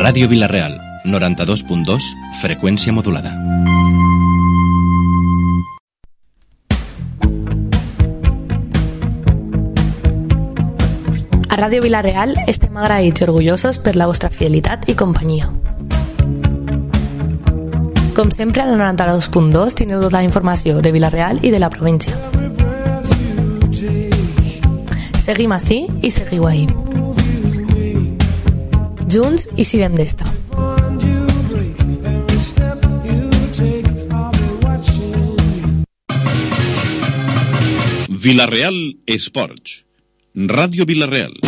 Ràdio Vila-real, 92.2, freqüència modulada. A Ràdio Vila-real estem agraïts i orgullosos per la vostra fidelitat i companyia. Com sempre, a la 92.2 tindreu tota la informació de Vila-real i de la província. Seguim ací i seguiu ahí. Junts i sirem d'esta. Vila-real Esports. Ràdio Vila-real.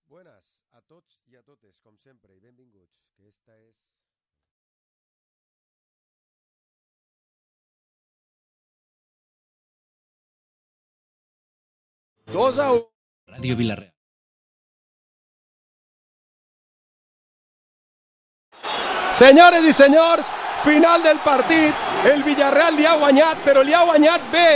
Buenas a tots i a totes, com sempre, i benvinguts, que esta és... Dos a 1. Ràdio Vila-real. Senyores i senyors, final del partit. El Villarreal li ha guanyat, però li ha guanyat bé,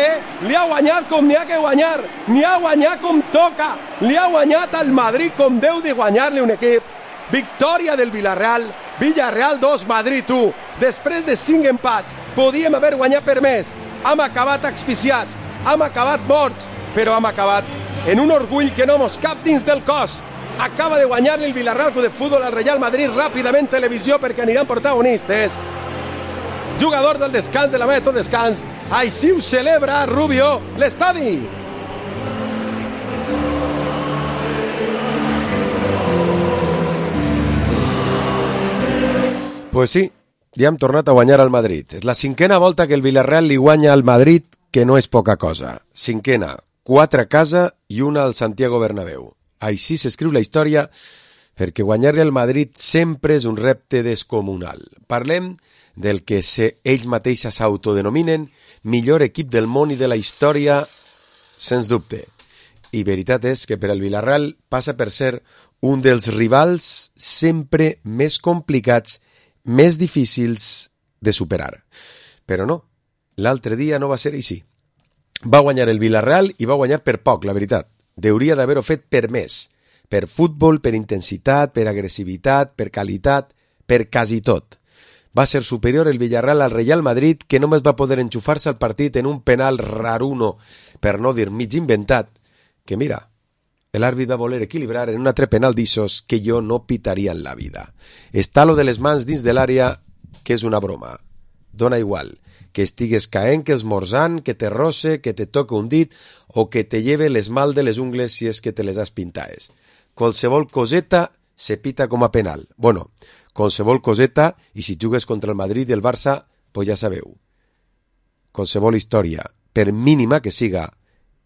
Li ha guanyat com n'hi ha que guanyar. N'hi ha guanyat com toca. Li ha guanyat al Madrid com deu de guanyar-li un equip. Victòria del Villarreal. Villarreal 2, Madrid 1. Després de 5 empats, podíem haver guanyat per més. Hem acabat asfixiats, hem acabat morts, però hem acabat en un orgull que no mos cap dins del cos. Acaba de guanyar el Villarreal Club de Fútbol al Real Madrid ràpidament televisió perquè aniran protagonistes. Jugador del descans, de la meta de descans. Així ho celebra Rubio l'estadi. Pues sí, ja hem tornat a guanyar al Madrid. És la 5a volta que el Villarreal li guanya al Madrid, que no és poca cosa. 5a, 4 a casa i 1 al Santiago Bernabéu. Així s'escriu la història, perquè guanyar-li al Madrid sempre és un repte descomunal. Parlem del que ells mateixos s'autodenominen millor equip del món i de la història, sens dubte. I veritat és que per al Villarreal passa per ser un dels rivals sempre més complicats, més difícils de superar. Però no, l'altre dia no va ser així. Va guanyar el Villarreal i va guanyar per poc, la veritat. Hauria d'haver-ho fet per més, per futbol, per intensitat, per agressivitat, per qualitat, per quasi tot. Va ser superior el Villarreal al Real Madrid, que només va poder enxufar-se al partit en un penal raruno, per no dir mig inventat, que mira, l'àrbit va voler equilibrar en un altre penal d'issos que jo no pitaria en la vida. Està lo de les mans dins de l'àrea, que és una broma. Dona igual que estigues caent, que esmorzant, que te roce, que te toque un dit o que te lleve l'esmalt de les ungles si és que te les has pintades. Qualsevol coseta se pita com a penal. Bueno, qualsevol coseta, i si jugues contra el Madrid i el Barça, pues ja sabeu. Qualsevol història, per mínima que siga,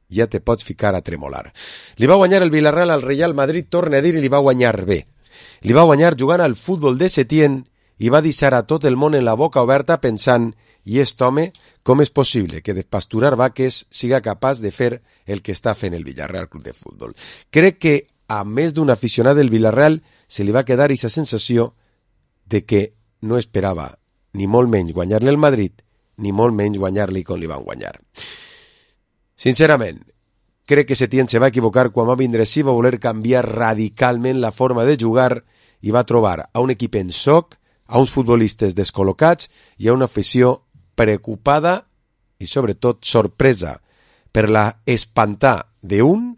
ja te pots ficar a tremolar. Li va guanyar el Villarreal al Real Madrid, torna a dir, i li va guanyar bé. Li va guanyar jugant al futbol de Setién i va deixar a tot el món en la boca oberta pensant: i aquest home, com és possible que de pasturar vaques siga capaç de fer el que està fent el Villarreal Club de Futbol? Crec que a més d'un aficionat del Villarreal se li va quedar aquesta sensació de que no esperava ni molt menys guanyar-li al Madrid, ni molt menys guanyar-li com li van guanyar. Sincerament, crec que Setién se va equivocar quan va vindre així, va voler canviar radicalment la forma de jugar i va trobar a un equip en soc, a uns futbolistes descol·locats i a una afició preocupada i sobretot sorpresa per la espantar d'un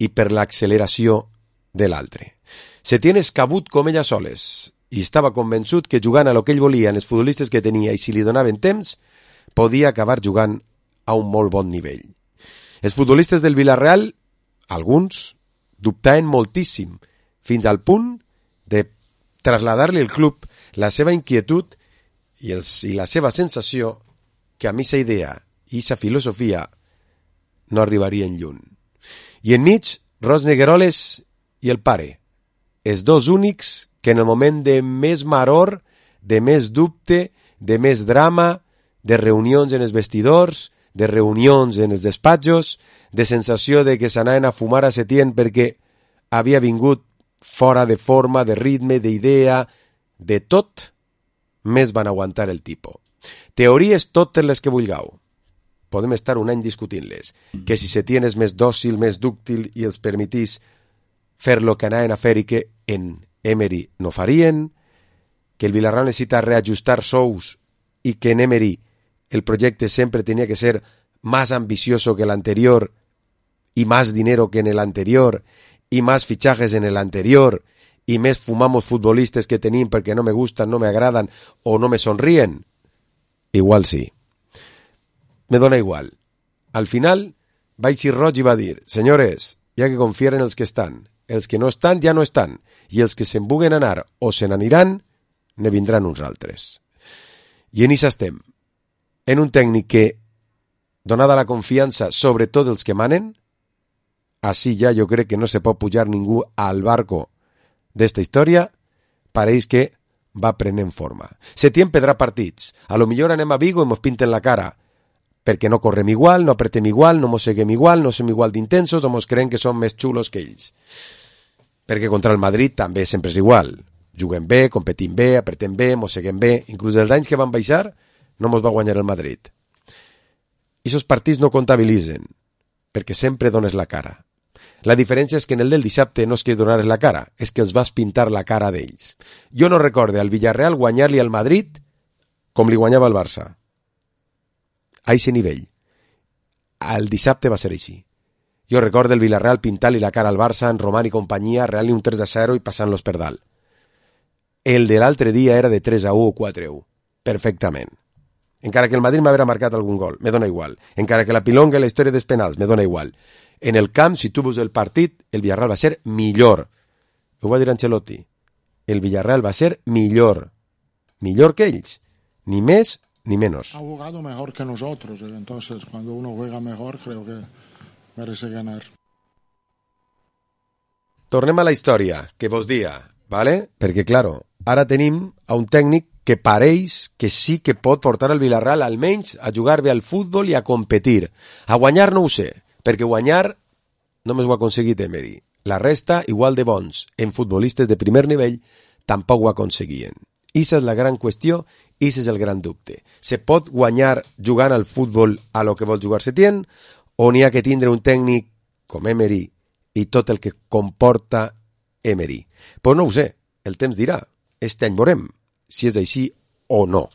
i per l'acceleració de l'altre. Setién és cabut com ella soles i estava convençut que jugant a lo que ell volia en els futbolistes que tenia i si li donaven temps, podia acabar jugant a un molt bon nivell. Els futbolistes del Villarreal, alguns, dubtaven moltíssim, fins al punt de traslladar-li al club la seva inquietud i la seva sensació que a mi sa idea i sa filosofia no arribarien lluny. I enmig, Ros Negueroles i el pare, els dos únics que en el moment de més maror, de més dubte, de més drama, de reunions en els vestidors, de reunions en els despatxos, de sensació de que s'anaven a fumar a Setién perquè havia vingut fora de forma, de ritme, d'idea, de tot, més van aguantar el tipo. Teories totes les que vulgueu. Podem estar un any discutint-les. Que si se tienes més dòcil, més dúctil i els permetís fer lo que anaven a fer i que en Emery no farien, que el Villarreal necessita reajustar sous y que en Emery el proyecto siempre tenía que ser más ambicioso que el anterior y más dinero que en el anterior y más fichajes en el anterior y més fumamos futbolistes que tenim perquè no me gustan, no me agradan o no me sonríen. Igual sí. Me dona igual. Al final va eixir Roig i va dir: senyores, hi ha que confiar en els que estan. Els que no estan ja no estan i els que se'n vulguen anar o se n'aniran ne vindran uns altres. I en això estem. En un tècnic que, donada la confiança, sobretot els que manen, així ja jo crec que no se pot pujar ningú al barco d'esta història, pareix que va prenent forma. Setién perdrà partits. A lo millor anem a Vigo i mos pinten la cara, perquè no correm igual, no apretem igual, no mos seguem igual, no som igual d'intensos o mos creiem que som més xulos que ells. Perquè contra el Madrid també sempre és igual. Juguem bé, competim bé, apretem bé, mos seguem bé. Inclús els anys que van baixar, no mos va guanyar el Madrid. I aquests partits no comptabilitzen, perquè sempre dones la cara. La diferència és que en el del dissabte no és que donares la cara, és que els vas pintar la cara d'ells. Jo no recorde al Villarreal guanyar-li al Madrid com li guanyava al Barça. A aquest nivell. El dissabte va ser així. Jo recordo el Villarreal pintar-li la cara al Barça, en Roman i companyia, real-li un 3-0 i passant-los per dalt. El de l'altre dia era de 3-1 o 4-1. Perfectament. Encara que el Madrid m'haguera marcat algun gol, me dona igual. Encara que la pilonga i la història dels penals, me dona igual. En el camp, si tu veus el partit, el Villarreal va ser millor. Ho va dir Ancelotti. El Villarreal va ser millor. Millor que ells. Ni més ni menos. Ha jugado mejor que nosotros. Entonces, cuando uno juega mejor, creo que merece ganar. Tornem a la història, que vos dia, ¿vale? Perquè, claro, ara tenim a un tècnic que pareix que sí que pot portar el Villarreal almenys a jugar bé al futbol i a competir. A guanyar no ho sé, perquè guanyar només ho ha aconseguit Emery. La resta, igual de bons en futbolistes de primer nivell, tampoc ho aconseguien. Issa és la gran qüestió, issa és el gran dubte. Se pot guanyar jugant al futbol a lo que vol jugar Setién, o n'hi ha que tindre un tècnic com Emery i tot el que comporta Emery? Però no ho sé, el temps dirà. Este any veurem si és així o no.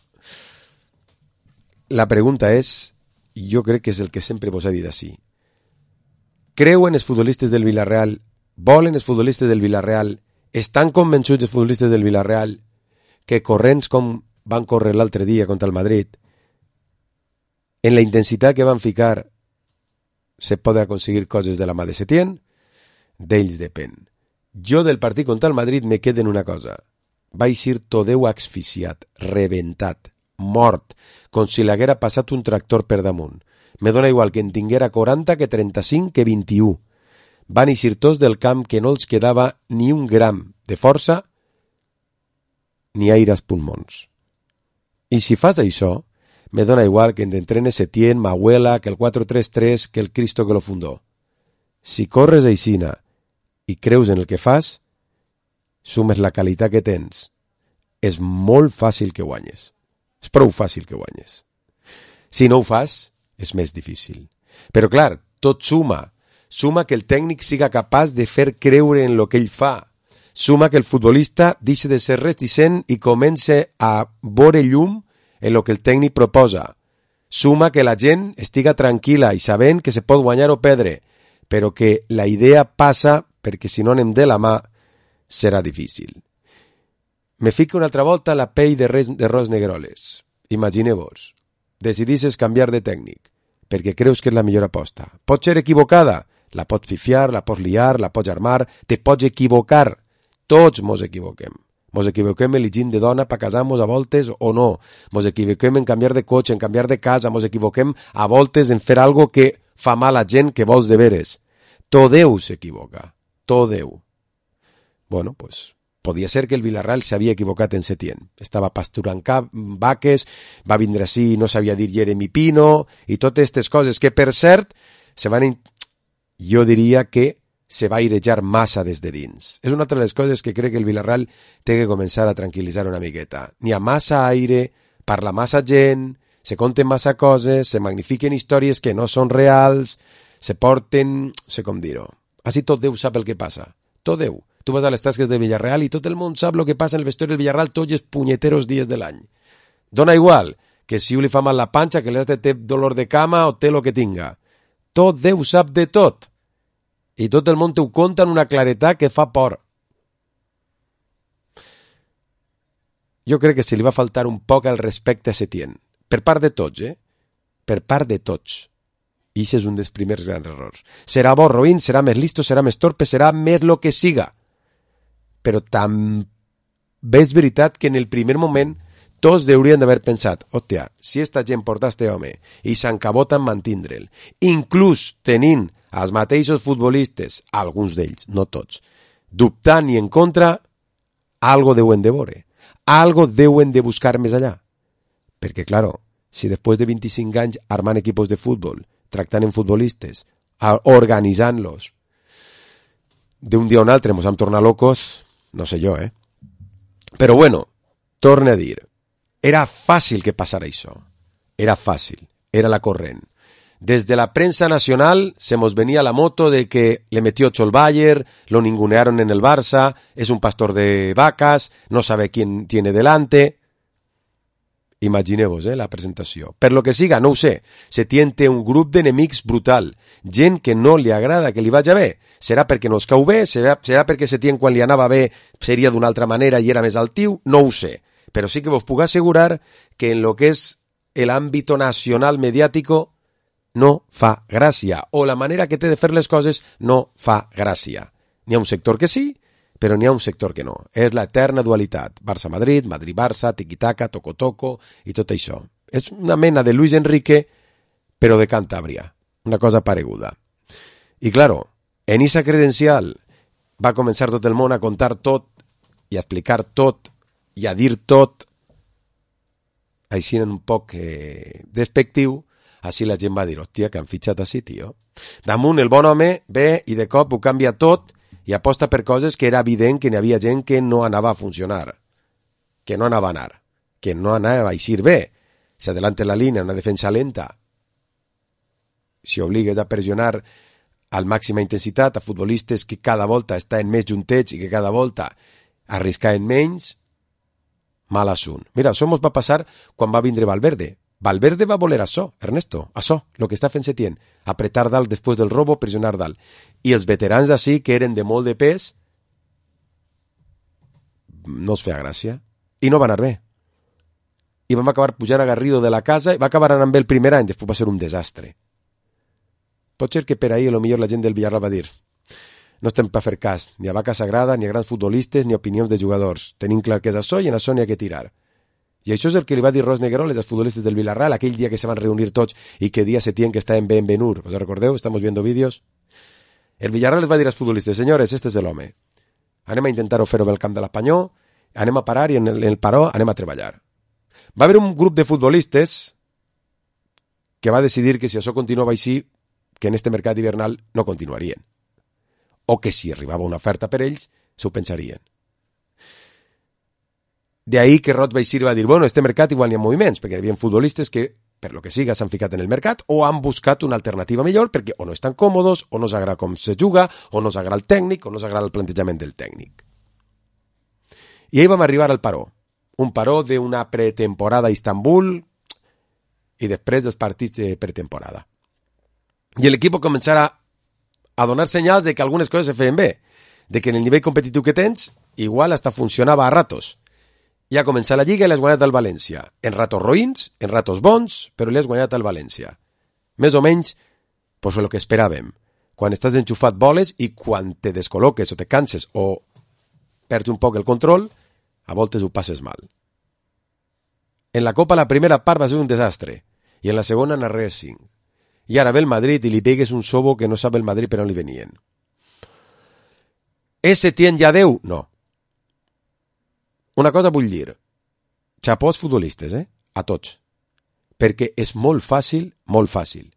La pregunta és, jo crec que és el que sempre vos he dit així. Creuen els futbolistes del Villarreal, volen els futbolistes del Villarreal, estan convençuts els futbolistes del Villarreal que corrents com van córrer l'altre dia contra el Madrid, en la intensitat que van ficar se poden aconseguir coses de la mà de Setién? D'ells depèn. Jo del partit contra el Madrid me quedo en una cosa. Va eixir Todeu asfixiat, rebentat, mort, com si l'haguera passat un tractor per damunt. Me dona igual que en tinguera 40 que 35 que 21. Van eixir tots del camp que no els quedava ni un gram de força ni aire als pulmons. I si fas això, me dona igual que t'entrenes Setién, Mahuela, que el 4-3-3, que el Cristo que lo fundó. Si corres aixina i creus en el que fas, sumes la qualitat que tens, és molt fàcil que guanyes. És prou fàcil que guanyes. Si no ho fas, és més difícil. Però clar, tot suma. Suma que el tècnic siga capaç de fer creure en el que ell fa. Suma que el futbolista deixi de ser reticent i comence a veure llum en el que el tècnic proposa. Suma que la gent estiga tranquil·la i sabent que se pot guanyar o perdre, però que la idea passa perquè si no anem de la mà serà difícil. Me fico una altra volta a la pell de Ros Negroles. Imagineu-vos, decidisses canviar de tècnic perquè creus que és la millor aposta. Pot ser equivocada, la pots fifiar, la pots liar, la pots armar, te pots equivocar. Tots mos equivoquem. Mos equivoquem elegint de dona per casar-nos a voltes o no. Mos equivoquem en canviar de cotxe, en canviar de casa. Mos equivoquem a voltes en fer algo que fa mal a gent que vols de veres. Todeu s'equivoca. Todeu. Bueno, pues podia ser que el Villarreal s'havia equivocat en Setién. Estava pasturant vaques, va vindre així i no sabia dir Jeremy Pino i totes aquestes coses que, per cert, jo diria que se va airejar massa des de dins. És una altra de les coses que crec que el Villarreal té que començar a tranquil·litzar una miqueta. N'hi ha massa aire parla massa gent, se conten massa coses, se magnifiquen històries que no són reals, se porten, sé com dir-ho. Així tot Déu sap el que passa. Tot Déu. Tu vas a les tasques de Villarreal i tot el món sap el que passa en el vestuari del Villarreal tots els punyeteros dies de l'any. Dona igual que si li fa mal la panxa, que l'altre té dolor de cama o té lo que tinga. Tot Déu sap de tot. I tot el món t'ho conta en una claretat que fa por. Jo crec que se li va faltar un poc el respecte a Setién. Per part de tots, Per part de tots. I això és un dels primers grans errors. Serà bo, roïn, serà més listo, serà més torpe, serà més lo que siga. Però també és veritat que en el primer moment tots haurien d'haver pensat, hòstia, si esta gent porta este home i s'encabota en mantindre'l, inclús tenint els mateixos futbolistes, alguns d'ells, no tots, dubtant i en contra, algo deuen de veure, algo deuen de buscar més allà. Perquè, claro, si després de 25 anys armant equipos de futbol, tractant en futbolistes, organitzant-los, d'un dia a un altre ens hem tornat locos, no sé jo, Però bueno, torne a dir, era fàcil que passara això. Era fàcil, era la corrent. Des de la prensa nacional se nos venía la moto de que le metió 8 el Bayern, lo ningunearon en el Barça, es un pastor de vacas, no sabe quién tiene delante. Imagineu-vos, la presentació. Per lo que siga, no ho sé, Setién té un grup d'enemics brutal, gent que no li agrada que li vagi bé. Serà perquè no es cau bé, serà perquè Setién quan li anava bé seria d'una altra manera i era més altiu, no ho sé. Però sí que vos puc assegurar que en lo que és el ámbito nacional mediático no fa gràcia, o la manera que té de fer les coses no fa gràcia. N'hi ha un sector que sí, però n'hi ha un sector que no. És l'eterna dualitat. Barça-Madrid, Madrid-Barça, tiqui-taca, toco-toco i tot això. És una mena de Luis Enrique, però de Cantàbria. Una cosa pareguda. I, claro, en esa credencial va començar tot el món a contar tot i a explicar tot i a dir tot, així un poc despectiu, així la gent va dir, hòstia, que han fitxat així, tio. Damunt el bon home ve i de cop ho canvia tot i aposta per coses que era evident que n'hi havia gent que no anava a funcionar, que no anava a anar, que no anava a eixir bé. Si adelante la línia, una defensa lenta, si obligues a pressionar al màxima intensitat a futbolistes que cada volta estan més juntets i que cada volta arriscaven menys, mal assunt. Mira, això ens va passar quan va vindre Valverde. Valverde va voler això, Ernesto, això, el que està fent Setién, apretar dalt després del robo, pressionar dalt. I els veterans d'ací, que eren de molt de pes, no els feia gràcia. I no va anar bé. I vam acabar pujant a Garrido de la casa i va acabar anant bé el primer any, després va ser un desastre. Pot ser que per ahir millor la gent del Villarreal va dir no estem per fer cas ni a vaca sagrada, ni a grans futbolistes, ni a opinions de jugadors. Tenim clar que és això i en això n'hi ha que tirar. I això és el que li va dir Ros Negroles als futbolistes del Villarreal aquell dia que se van reunir tots i que dia Setién que estava en Benvenur. ¿Os recordeu? Estamos viendo vídeos. El Villarreal les va dir als futbolistes, senyores, este és l'home. Anem a intentar-ho fer-ho pel camp de l'Espanyol, anem a parar i en el paró anem a treballar. Va haver un grup de futbolistes que va decidir que si això continuava així, que en este mercat hivernal no continuarien. O que si arribava una oferta per ells, s'ho pensarien. De ahí que Rot va eixir i va dir, bueno, este mercat igual n'hi ha moviments, perquè hi havia futbolistes que, per lo que siga, s'han ficat en el mercat o han buscat una alternativa millor perquè o no estan còmodes, o no s'agrada com se juga, o no s'agrada el tècnic, o no s'agrada el plantejament del tècnic. I ahí vam arribar al paró. Un paró d'una pretemporada a Istanbul i després dels partits de pretemporada. I l'equip començarà a donar senyals de que algunes coses se feien bé, de que en el nivell competitiu que tens, igual hasta funcionava a ratos. Ja ha començat la Lliga i l'has guanyat al València. En ratos roïns, en ratos bons, però l'has guanyat al València. Més o menys, pues el que esperàvem. Quan estàs enxufat voles i quan te descol·loques o te canses o perds un poc el control, a voltes ho passes mal. En la Copa la primera part va ser un desastre i en la segona anar res 5. I ara ve el Madrid i li pegues un sobo que no sap el Madrid per on li venien. És Setién ja Déu? No. Una cosa vull dir, xapó als futbolistes, a tots, perquè és molt fàcil,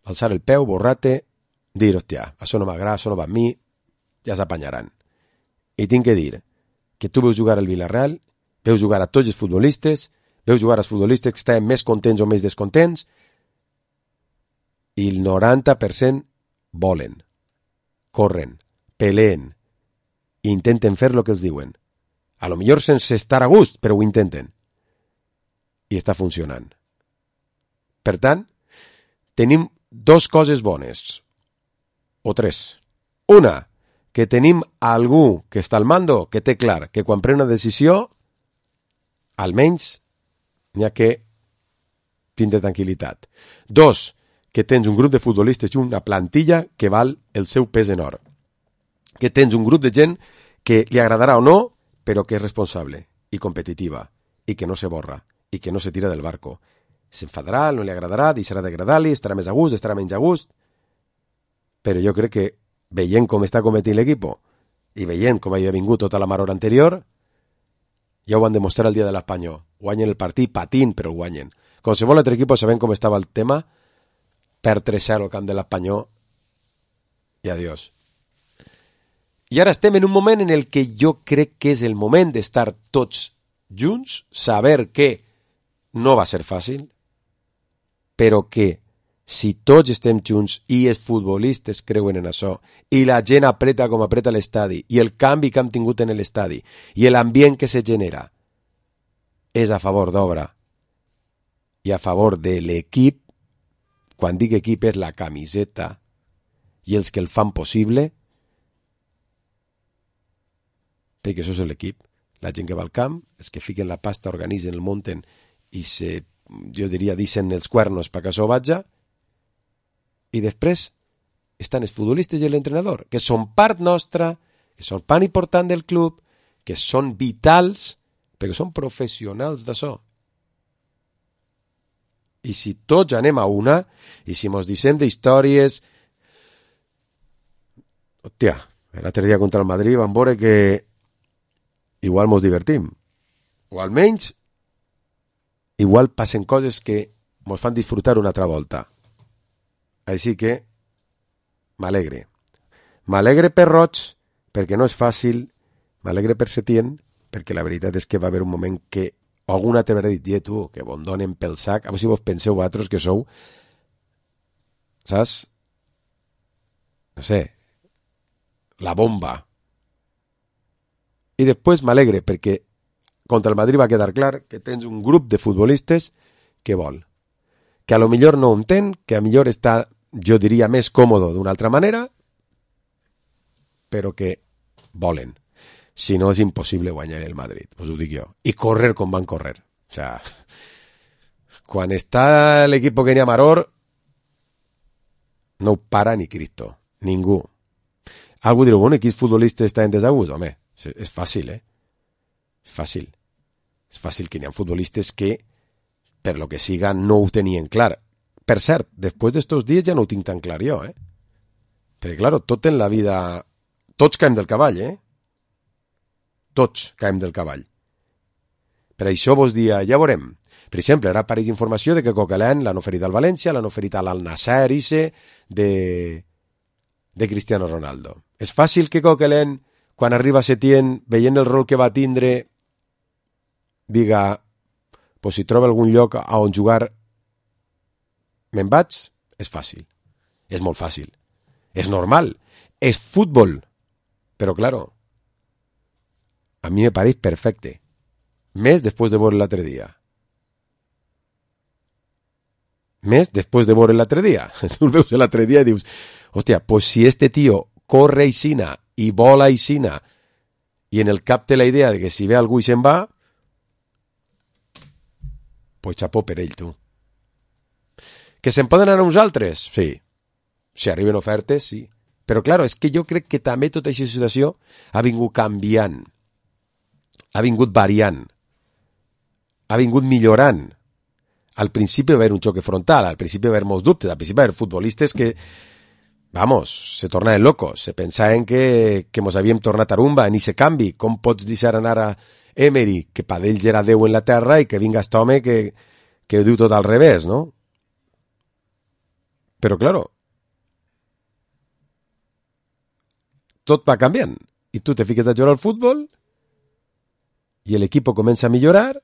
alçar el peu, borrar-te, dir, hòstia, això no m'agrada, això no va a mi, ja s'apanyaran. I tinc que dir que tu veus jugar al Villarreal, veus jugar a tots els futbolistes, veu jugar els futbolistes que estaven més contents o més descontents, i el 90% volen, corren, peleen, i intenten fer el que els diuen. A lo millor sense estar a gust, però ho intenten. I està funcionant. Per tant, tenim dos coses bones, o tres. Una, que tenim algú que està al mando, que té clar que quan pren una decisió, almenys n'hi ha que tindre tranquil·litat. Dos, que tens un grup de futbolistes i una plantilla que val el seu pes en or. Que tens un grup de gent que li agradarà o no, però que és responsable i competitiva, i que no se borra, i que no se tira del barco. S'enfadarà, no li agradarà, deixarà d'agradar-li, estarà més a gust, estarà menys a gust, però jo crec que veient com està cometint l'equip i veient com havia vingut tota la maror anterior, ja ho van demostrar el dia de l'Espanyol. Guanyen el partit patint, però el guanyen. Qualsevol altre equip sabent com estava el tema, per 3-0 al camp de l'Espanyol i adiós. I ara estem en un moment en el que jo crec que és el moment d'estar tots junts, saber que no va ser fàcil, però que si tots estem junts i els futbolistes creuen en això i la gent apreta com apreta l'estadi i el canvi que hem tingut en l'estadi i l'ambient que se genera és a favor d'obra i a favor de l'equip, quan dic equip és la camiseta i els que el fan possible, perquè això és l'equip, la gent que va al camp, els que fiquen la pasta, organitzen, el munten i jo diria, deixen els cuernos perquè això vaja, i després estan els futbolistes i l'entrenador, que són part nostra, que són part important del club, que són vitals, perquè són professionals d'això. I si tots anem a una, i si mos deixem d'històries... Hòstia, l'altre dia contra el Madrid vam veure que igual mos divertim. O almenys, igual passen coses que mos fan disfrutar una altra volta. Així que m'alegre. M'alegre per Roig, perquè no és fàcil, m'alegre per Setién, perquè la veritat és que va haver un moment que algun altre haurà dit, tu, que bon donen pel sac, a veure si vos penseu vosaltres que sou, saps? No sé, la bomba. I després m'alegre, perquè contra el Madrid va quedar clar que tens un grup de futbolistes que vol. Que a lo millor no ho entén, que a millor està, jo diria, més còmodo d'una altra manera, però que volen. Si no, és impossible guanyar el Madrid, us ho dic jo. I córrer com van córrer. O sea, quan està l'equip que n'hi ha maror, no ho para ni Cristo, ningú. Algú dirà, bueno, quins futbolistes estan en desagús? Home, és fàcil, És fàcil. És fàcil que n'hi ha futbolistes que, per lo que siga, no ho tenien clar. Per cert, després d'estos dies ja no ho tinc tan clar jo, Perquè, claro, tot en la vida... Tots caiem del cavall, Tots caiem del cavall. Per això vos dia, ja veurem. Per exemple, ara apareix informació de que Coquelin l'han oferit al València, l'han oferit a l'Al-Nassr de Cristiano Ronaldo. És fàcil que Coquelin, quan arriba a Setién, veient el rol que va tindre, diga, pues si troba algun lloc a on jugar me'n vaig? És fàcil. És molt fàcil. És normal. És futbol. Però, claro, a mi me pareix perfecte. Més després de veure l'altre dia. Més després de veure l'altre dia. Tu el veus l'altre dia i dius, hòstia, pues si este tío corre aixina i vola aixina i en el cap té la idea de que si ve algú i se'n va, pues xapó per ell, tu. Que se'n poden anar uns altres? Sí. Si arriben ofertes, sí. Però, claro, és que jo crec que també tota aquesta situació ha vingut canviant, ha vingut variant, ha vingut millorant. Al principi va haver un xoc frontal, al principi va haver molts dubtes, al principi va haver futbolistes que, vamos, se tornaven locos, se pensaven que mos havíem tornat a rumba, ni se canvi, com pots deixar anar a Emery, que per d'ells era Déu en la terra, i que vinga aquest home que ho diu tot al revés, no? Però, claro, tot va canviant, i tu te fiques a jugar al futbol, i l'equip comença a millorar,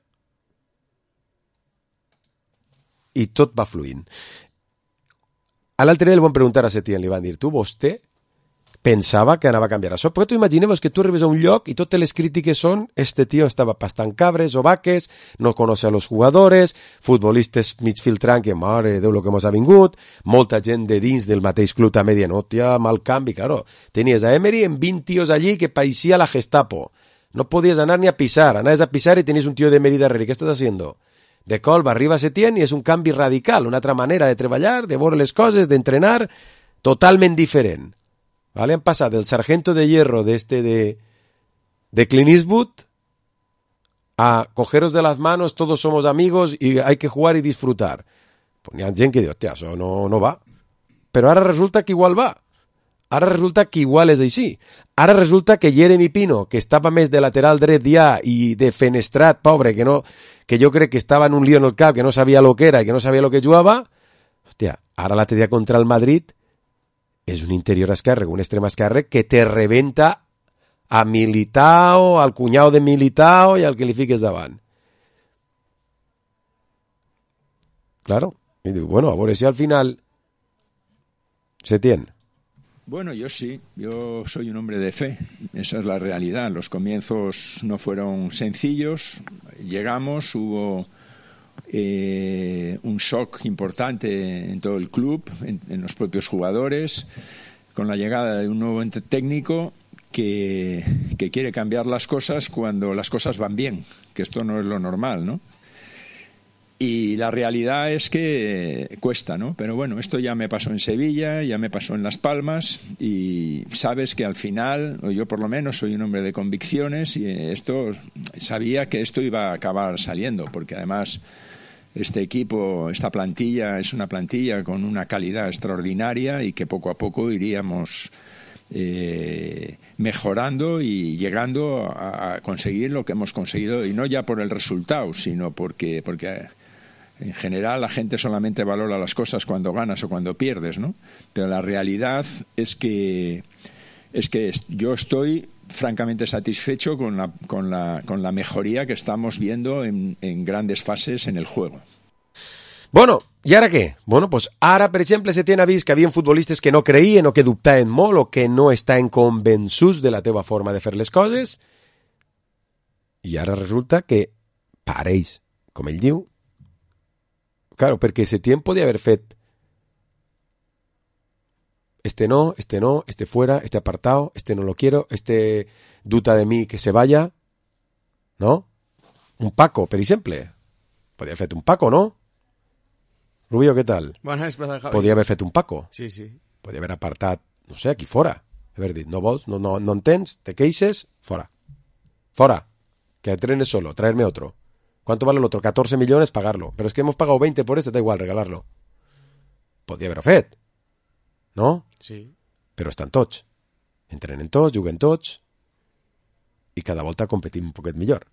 i tot va fluint. A l'altre dia li van preguntar a Setién, li van dir, tu, vostè pensava que anava a canviar això? Perquè tu imagineu que tu arribes a un lloc i totes les crítiques són este tío estava pastant cabres o vaques, no conoce a los jugadores, futbolistes mig filtrant que, mare Déu, lo que mos ha vingut, molta gent de dins del mateix club també dient, hòstia, mal canvi, claro. Tenies a Emery en 20 tios allí que parecía la Gestapo. No podías anar ni a pisar, anaves a pisar y tenies un tío de Emery darrere. ¿Qué estás haciendo? De colp arriba Setién i és un canvi radical, una altra manera de treballar, de veure les coses, d'entrenar, totalment diferent. ¿Vale? Han passat del sargento de hierro de Clint Eastwood a cogeros de las manos, todos somos amigos y hay que jugar y disfrutar. Pues hi ha gent que diu, hòstia, això no va. Però ara resulta que igual va. Ara resulta que igual és així. Ara resulta que Jeremy Pino, que estava més de lateral dret ja i de fenestrat, pobre, que jo crec que estava en un lío en el cap, que no sabia lo que era i que no sabia lo que jugava, hòstia, ara l'altre dia contra el Madrid és un interior esquerre, un extrem esquerre que te rebenta a Militao, al cunyau de Militao i al que li fiques davant. Claro. Y digo, bueno, a ver si al final se tiene. Bueno, yo sí, yo soy un hombre de fe, esa es la realidad. Los comienzos no fueron sencillos, llegamos, hubo un shock importante en todo el club, en los propios jugadores, con la llegada de un nuevo técnico que quiere cambiar las cosas cuando las cosas van bien, que esto no es lo normal, ¿no? Y la realidad es que cuesta, ¿no? Pero bueno, esto ya me pasó en Sevilla, ya me pasó en Las Palmas y sabes que al final, o yo por lo menos soy un hombre de convicciones y sabía que esto iba a acabar saliendo, porque además este equipo, esta plantilla es una plantilla con una calidad extraordinaria y que poco a poco iríamos mejorando y llegando a conseguir lo que hemos conseguido, y no ya por el resultado, sino porque en general la gente solamente valora las cosas cuando ganas o cuando pierdes, ¿no? Pero la realidad es que yo estoy francamente satisfecho con la mejoría que estamos viendo en grandes fases en el juego. Bueno, i ara què? Bueno, pues ara, per exemple, se tenen vist que havia futbolistes que no creien o que dubtaven molt o que no estaven convençuts de la teva forma de fer les coses, i ara resulta que pareix, com ell diu. Claro, perquè Setién podia haver fet este no, este fuera, este apartado, este no lo quiero, este duda de mí que se vaya, ¿no? Un Paco, per exemple. Podia haver fet un Paco, no? Rubio, què tal? Bona vesprada, Javi. Podia haver fet un Paco. Sí, sí. Podia haver apartat, no sé, aquí fora. Haver dit, no vols, no entens, te queixes, fora. Fora. Que entrenes solo, traerme otro. ¿Cuánto vale el otro? 14 millones, pagarlo. Pero es que hemos pagado 20 por este, da igual, regalarlo. Podia haver-ho fet. No? Sí. Però estan tots. Entrenen tots, juguen tots i cada volta competim un poquet millor.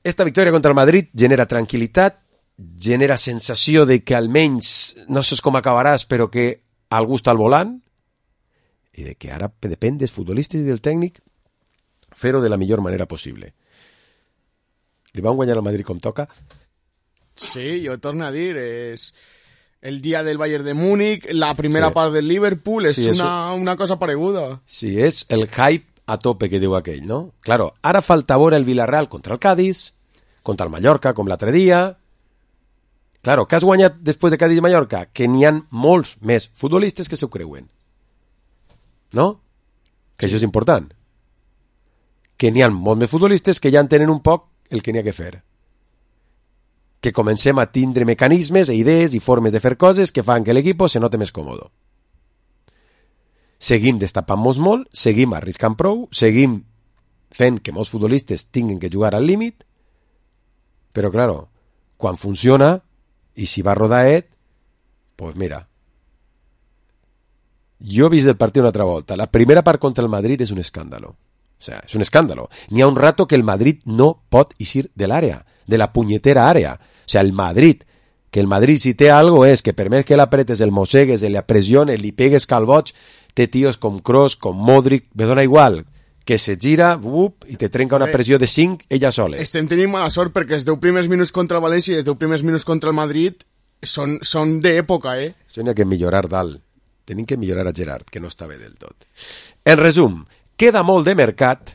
Esta victòria contra el Madrid genera tranquil·litat, genera sensació de que almenys no saps com acabaràs, però que algú està al volant, i de que ara depèn dels futbolistes i del tècnic fer-ho de la millor manera possible. Li van guanyar al Madrid com toca? Sí, jo torno a dir, és el dia del Bayern de Múnich, la primera part del Liverpool, és una cosa pareguda. Sí, és el hype a tope que diu aquell, no? Claro, ara falta veure el Villarreal contra el Cádiz, contra el Mallorca, com l'altre dia. Claro, que has guanyat després de Cádiz i Mallorca? Que n'hi ha molts més futbolistes que s'ho creuen. No? Que això és important. Que n'hi ha molts més futbolistes que ja entenen un poc el que n'hi ha que fer. Que comencem a tindre mecanismes, idees i formes de fer coses que fan que l'equip se note més còmode. Seguim destapant-nos molt, seguim arriscant prou, seguim fent que molts futbolistes tinguin que jugar al límit, però, claro, quan funciona, i si va rodaet, pues mira, jo he vist el partit una altra volta. La primera part contra el Madrid és un escàndalo. O sea, és un escàndalo. N'hi ha un rato que el Madrid no pot eixir de l'àrea, de la punyetera àrea. O sea, el Madrid, que el Madrid si té algo és que per més que l'apretes, el mossegues, le apressiones, li pegues calboig, té tios com Kroos, com Modric, me dona igual, que se gira i te trenca una pressió de 5 ella sola. Estem tenint mala sort perquè els 10 primers minuts contra el València i els 10 primers minuts contra el Madrid són d'època, Això n'hi ha que millorar dalt. Tenim que millorar a Gerard, que no està bé del tot. En resum, queda molt de mercat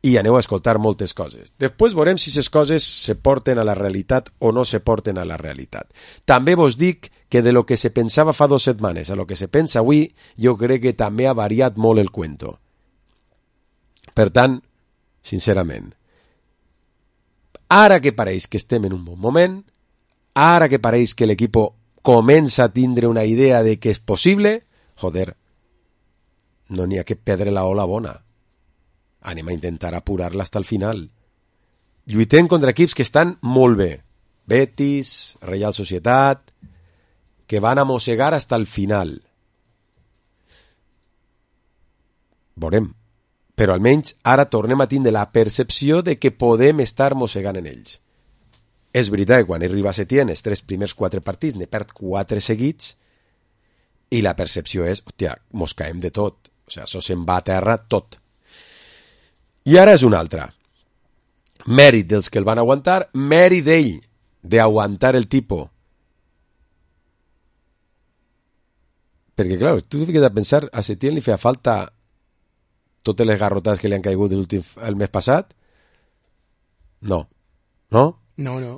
i aneu a escoltar moltes coses. Després veurem si les coses se porten a la realitat o no se porten a la realitat. També vos dic que de lo que se pensava fa 2 setmanes a lo que se pensa avui, jo crec que també ha variat molt el cuento. Per tant, sincerament, ara que pareix que estem en un bon moment, ara que pareix que l'equip comença a tindre una idea de que és possible, joder, no n'hi ha que perdre la ola bona. Anem a intentar apurar-la hasta el final. Lluitem contra equips que estan molt bé. Betis, Real Societat, que van a mossegar hasta el final. Veurem. Però almenys ara tornem a tindre la percepció de que podem estar mossegant en ells. És veritat que quan arriba a Setién, els 3 primers 4 partits, ne perd 4 seguits, i la percepció és, hòstia, mos caem de tot. O sigui, això se'n va a terra tot. I ara és una altra. Mèrit dels que el van aguantar, mèrit d'ell d'aguantar el tipus. Perquè, clar, tu fiques a pensar, a Setién li feia falta totes les garrotades que li han caigut el mes passat? No. No? No.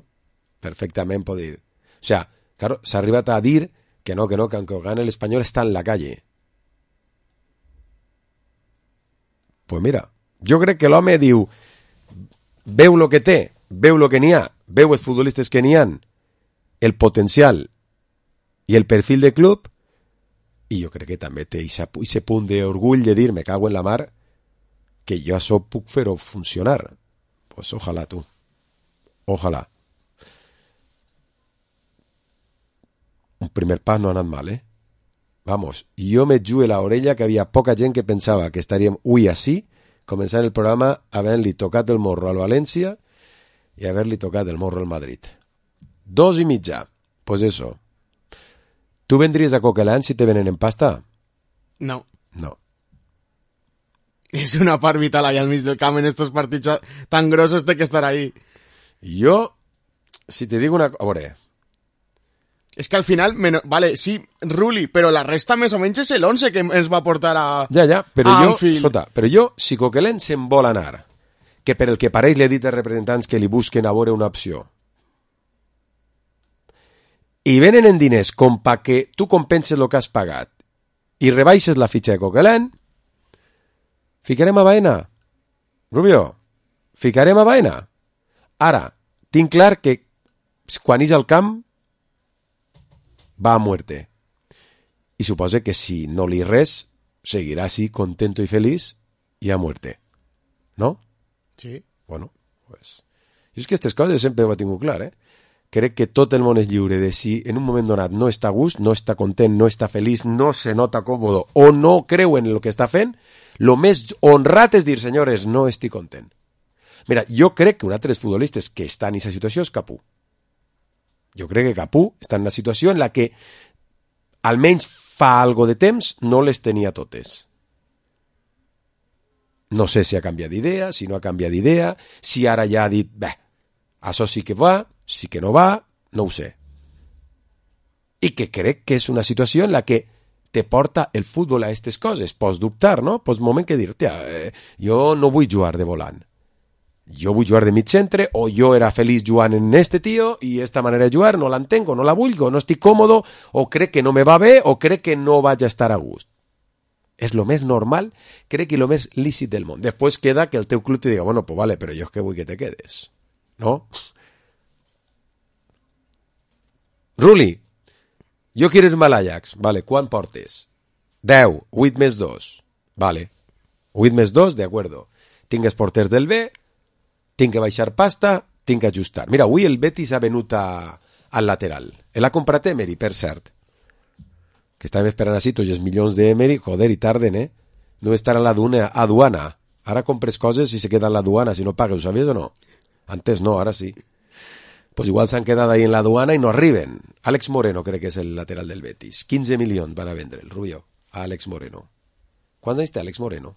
Perfectament pot dir. O sea, claro, s'ha arribat a dir que no, que aunque gane el Espanyol està en la calle. Pues mira, jo crec que l'home diu, veu lo que té, veu lo que n'hi ha, veu els futbolistes que n'hi han, el potencial i el perfil de club, i jo crec que també té aquest punt d'orgull de dir, me cago en la mar, que jo això puc fer-ho funcionar. Pues ojalà, tu. Ojalà. Un primer pas no ha anat mal, Vamos, jo me jugué la orella que havia poca gent que pensava que estaríem avui així, començant el programa havent-li tocat el morro al València i haver-li tocat el morro al Madrid. 2,5. Pues eso. Tu vendries a Coquelin si te venen en pasta? No. No. És una part vital allà al mig del camp en estos partits tan grossos té que estar ahí. Jo, si te dic una... A veure... És que al final, vale, sí, Rulli, però la resta més o menys és l'11 que ens va portar a... Ja, però a jo, Anfield. Sota, però jo, si Coquelin se'n vol anar, que per el que pareix li he dit als representants que li busquen a veure una opció, i venen en diners com pa que tu compenses el que has pagat i rebaixes la fitxa de Coquelin, ficarem a Baena. Rubio, ficarem a Baena. Ara, tinc clar que quan és al camp va a muerte. I suposa que si no li res, seguirà així, contento i feliç, i a muerte. No? Sí. Bueno, pues... Jo és que aquestes coses sempre ho he tingut clar, Crec que tot el món és lliure de si en un moment donat no està a gust, no està content, no està feliç, no se nota còmodo o no creu en el que està fent, lo més honrat és dir, senyores, no estic content. Mira, jo crec que un altre dels futbolistes que està en aquesta situació és Capú. Jo crec que Capú està en una situació en la que almenys fa algo de temps no les tenia totes. No sé si ha canviat d'idea, si no ha canviat d'idea, si ara ja ha dit, bé, això sí que va, sí que no va, no ho sé. I que crec que és una situació en la que te porta el futbol a aquestes coses. Pots dubtar, no? Pots moment que dir, jo no vull jugar de volant. Jo vull jugar de mig centre, o jo era feliç jugant en este tio, i esta manera de jugar no l'entenc, o no la vull, o no estic còmodo, o crec que no me va bé, o crec que no vaig a estar a gust. És lo més normal, crec que lo més lícit del món. Després queda que el teu club te diga, bueno, pues vale, però jo és que vull que te quedes. ¿No? Ruli, jo quiero irme al Ajax. Vale, ¿cuán portes? 10, 8 més 2. Vale. 8 més 2, de acuerdo. Tinc els porters del B, tinc que baixar pasta, tinc que ajustar. Mira, avui el Betis ha venut al lateral. El ha comprat Emery, per cert. Que estàvem esperant així tots els milions d'Emery, joder, i tarden, No estar a la aduana. Ara compres coses i se queda en l'aduana, si no pagues, ho sabies o no? Antes no, ara sí. Pues igual s'han quedat ahí en l'aduana i no arriben. Àlex Moreno crec que és el lateral del Betis. 15 milions van a vendre el Rubio a Àlex Moreno. Quants anys té Àlex Moreno?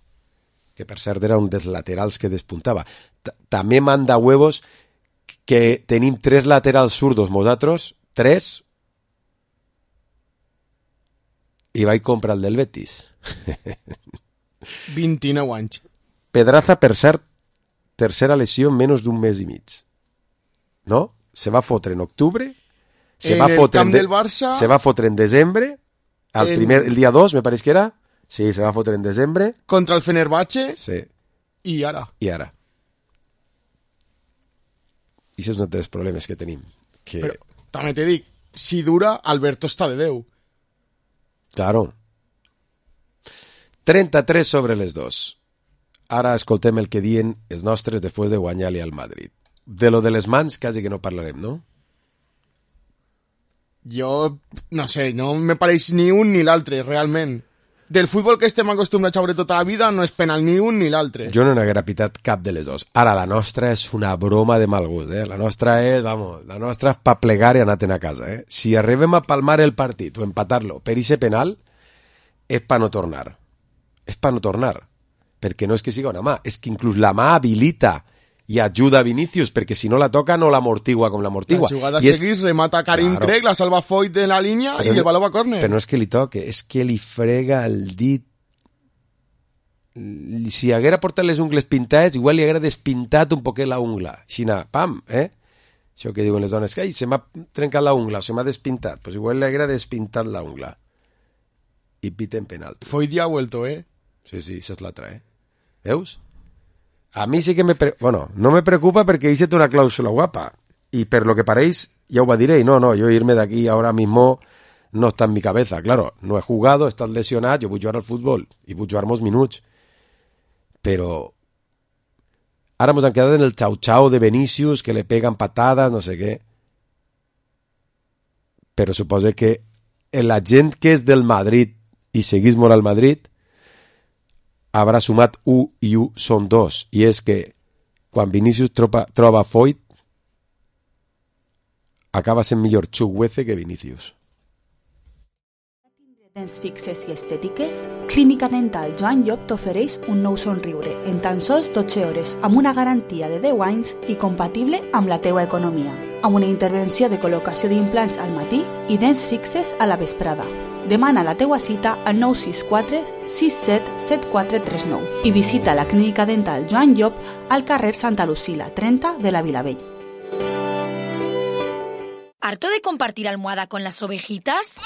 que per cert era un dels laterals que despuntava. També manda huevos que tenim 3 laterals zurdos, nosaltres, 3, i vaig comprar el del Betis. 29 anys. Pedraza, per cert, tercera lesió en menys d'un mes i mig. No? Se va fotre en octubre, se va fotre en desembre, el dia 2, me pareix que era. Sí, se va fotre en desembre. Contra el Fenerbahce. Sí. I ara. I això és un dels problemes que tenim. Però també te dic, si dura, Alberto està de Déu. Claro. 33 sobre les 2. Ara escoltem el que diuen els nostres després de guanyar-li al Madrid. De lo de les mans quasi que no parlarem, no? Jo, no sé, no me pareix ni un ni l'altre, realment. Del futbol que estem acostumbrats a veure tota la vida no és penal ni un ni l'altre. Jo no n'haguera pitat cap de les dos. Ara, la nostra és una broma de mal gust, La nostra és, la nostra és pa plegar i anar-te'n a casa, Si arribem a palmar el partit o empatar-lo per ixe penal, és pa no tornar. És pa no tornar. Perquè no és que siga una mà, és que inclús la mà habilita i ajuda a Vinícius, perquè si no la toca no l'amortigua com l'amortigua. La jugada seguís, remata Karim Craig, la salva Foyt de la línia i el baló va a córner. Però no és que li toque, és que li frega el dit. Si haguera portat les ungles pintades, igual li haguera despintat un poquet la ungla. Aixina, pam, Això que diuen les dones, que se m'ha trencat la ungla, se m'ha despintat. Pues igual li haguera despintat la ungla. I piten penalti. Foyt ja ha vuelto, Sí, això és l'altra, Veus? A mi sí que no me preocupa perquè hice una cláusula guapa. Y per lo que pareix, ya os diré, yo irme de aquí ahora mismo no está en mi cabeza. Claro, no he jugado, estás lesionado, yo vull jugar al fútbol y vull jugar molts minuts. Pero ara ens han quedat en el chau-chau de Vinícius, que le pegan patadas, no sé què. Però suposo que la gent que és del Madrid i seguís molt al Madrid habrà sumat 1 i 1 són 2, i és que quan Vinícius troba Foyt acaba sent millor Chukwueze que Vinícius. Dents fixes i estètiques? Clínica Dental Joan Llop t'ofereix un nou somriure en tan sols 12 hores amb una garantia de 10 anys i compatible amb la teua economia, amb una intervenció de col·locació d'implants al matí i dents fixes a la vesprada. Demana la teua cita al 964 67 7439 i visita la Clínica Dental Joan Llop al carrer Santa Lucila, 30 de la Vilavell. ¿Harto de compartir almohada con las ovejitas?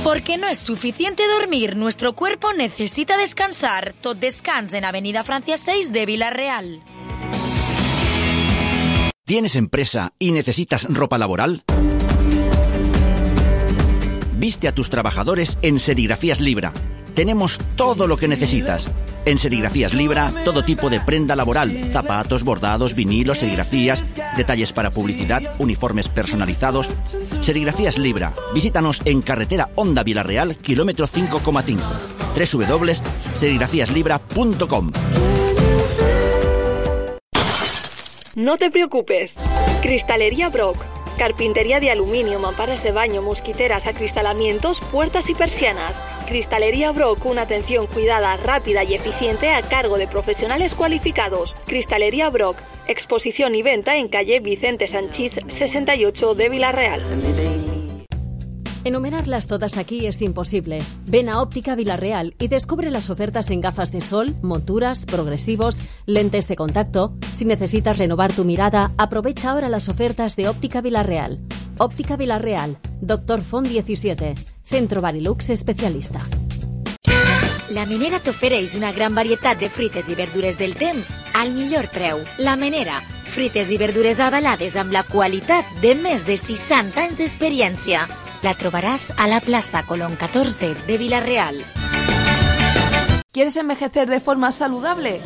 Porque no es suficiente dormir, nuestro cuerpo necesita descansar. Tot Descans en Avenida Francia 6 de Vila-real. ¿Tienes empresa y necesitas ropa laboral? Viste a tus trabajadores en Serigrafías Libra. Tenemos todo lo que necesitas. En Serigrafías Libra, todo tipo de prenda laboral, zapatos, bordados, vinilos, serigrafías, detalles para publicidad, uniformes personalizados. Serigrafías Libra. Visítanos en carretera Honda Vila-real, kilómetro 5,5. www.serigrafiaslibra.com. No te preocupes. Cristalería Brock. Carpintería de aluminio, mamparas de baño, mosquiteras, acristalamientos, puertas y persianas. Cristalería Brock, una atención cuidada, rápida y eficiente a cargo de profesionales cualificados. Cristalería Brock, exposición y venta en calle Vicente Sanchís 68 de Vila-real. Enumerarlas todas aquí es imposible. Ven a Óptica Vila-real y descubre las ofertas en gafas de sol, monturas, progresivos, lentes de contacto. Si necesitas renovar tu mirada, aprovecha ahora las ofertas de Óptica Vila-real. Óptica Vila-real, Dr. Font 17, Centro Barilux especialista. La Menera t'ofereix una gran varietat de fruites i verdures del temps al millor preu. La Menera, fruites i verdures avalades amb la qualitat de més de 60 anys d'experiència. La trobarás a la Plaza Colón 14 de Vila-real. ¿Quieres envejecer de forma saludable?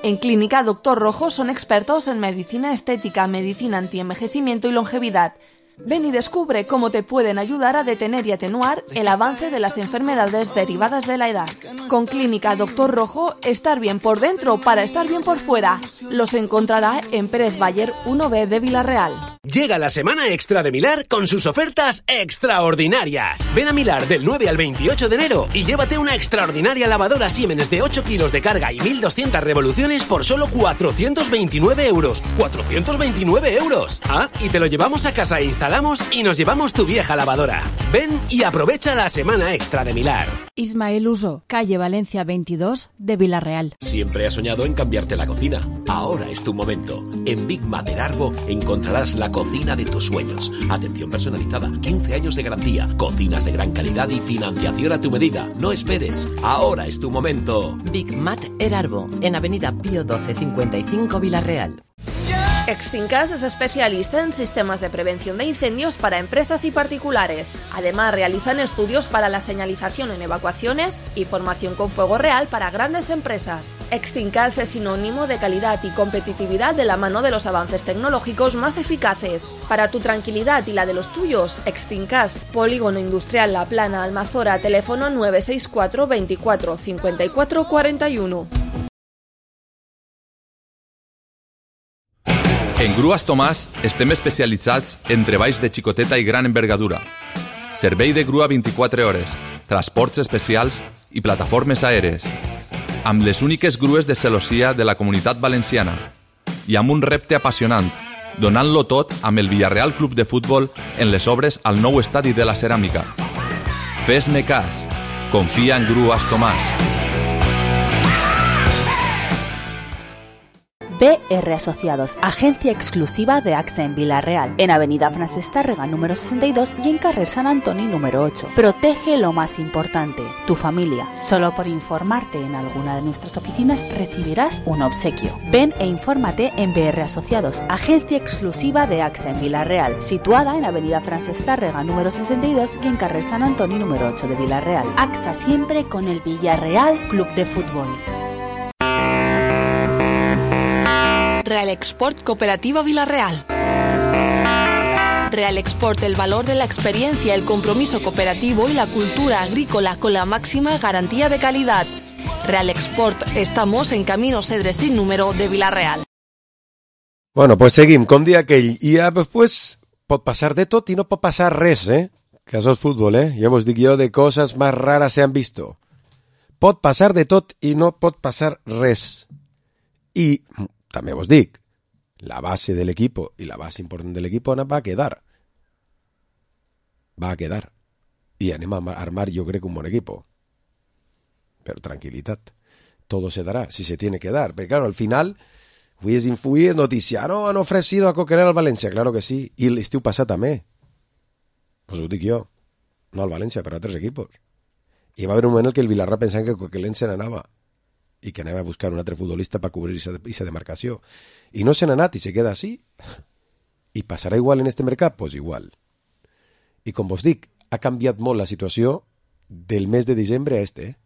En Clínica Dr. Rojo son expertos en medicina estética, medicina antienvejecimiento y longevidad. Ven y descubre cómo te pueden ayudar a detener y atenuar el avance de las enfermedades derivadas de la edad. Con Clínica Dr. Rojo, estar bien por dentro para estar bien por fuera. Los encontrará en Pérez Bayer 1B de Vila-real. Llega la semana extra de Milar con sus ofertas extraordinarias. Ven a Milar del 9 al 28 de enero y llévate una extraordinaria lavadora Siemens de 8 kilos de carga y 1.200 revoluciones por solo 429 euros. ¡429 euros! Ah, y te lo llevamos a casa e instalamos y nos llevamos tu vieja lavadora. Ven y aprovecha la semana extra de Milar. Ismael Uso, calle Valencia 22 de Villarreal. Siempre has soñado en cambiarte la cocina. Ahora es tu momento. En Big Mat Erarbo encontrarás la cocina de tus sueños. Atención personalizada, 15 años de garantía, cocinas de gran calidad y financiación a tu medida. No esperes, ahora es tu momento. Big Mat Erarbo, en Avenida Pío 12 55 Villarreal. Extincas es especialista en sistemas de prevención de incendios para empresas y particulares. Además, realizan estudios para la señalización en evacuaciones y formación con fuego real para grandes empresas. Extincas es sinónimo de calidad y competitividad de la mano de los avances tecnológicos más eficaces. Para tu tranquilidad y la de los tuyos, Extincas, Polígono Industrial La Plana, Almazora, teléfono 964 24 54 41. En Grues Tomàs estem especialitzats en treballs de xicoteta i gran envergadura. Servei de grua 24 hores, transports especials i plataformes aèries. Amb les úniques grues de celossia de la Comunitat Valenciana. I amb un repte apassionant, donant-lo tot amb el Villarreal Club de Futbol en les obres al nou estadi de la Ceràmica. Fes-me cas. Confia en Grues Tomàs. BR Asociados, agencia exclusiva de AXA en Villarreal, en Avenida Francesc Tàrrega número 62 y en Carrer San Antoni número 8. Protege lo más importante, tu familia. Solo por informarte en alguna de nuestras oficinas recibirás un obsequio. Ven e infórmate en BR Asociados, agencia exclusiva de AXA en Villarreal, situada en Avenida Francesc Tàrrega número 62 y en Carrer San Antoni número 8 de Villarreal. AXA siempre con el Villarreal Club de Fútbol. Real Export Cooperativa Villarreal. Real Export, el valor de la experiencia, el compromiso cooperativo y la cultura agrícola con la máxima garantía de calidad. Real Export, estamos en Camino Cedres sin número de Villarreal. Bueno, pues seguim, com dia aquell. I ja, pues, pot passar de tot i no pot passar res, Que això és futbol, Ja vos dic jo, de coses més rares se han visto. Pot passar de tot i no pot passar res. I també vos dic, la base del equipo y la base importante del equipo va a quedar. Va a quedar. Y anem a armar, yo creo que un buen equipo. Pero tranquilidad. Todo se dará, si se tiene que dar. Pero claro, al final, avui és notícia. No, han ofrecido a Coquelin al València. Claro que sí. I l'estiu passat també. Pues ho dic jo. No al València, però a altres equipos. I va haver un moment en què el Villarreal pensava que Coquelin se n'anava. I que anava a buscar un altre futbolista per cobrir aquesta demarcació. I no se n'ha anat i se queda així. I passarà igual en este mercat? Pues igual. I com vos dic, ha canviat molt la situació del mes de desembre a este.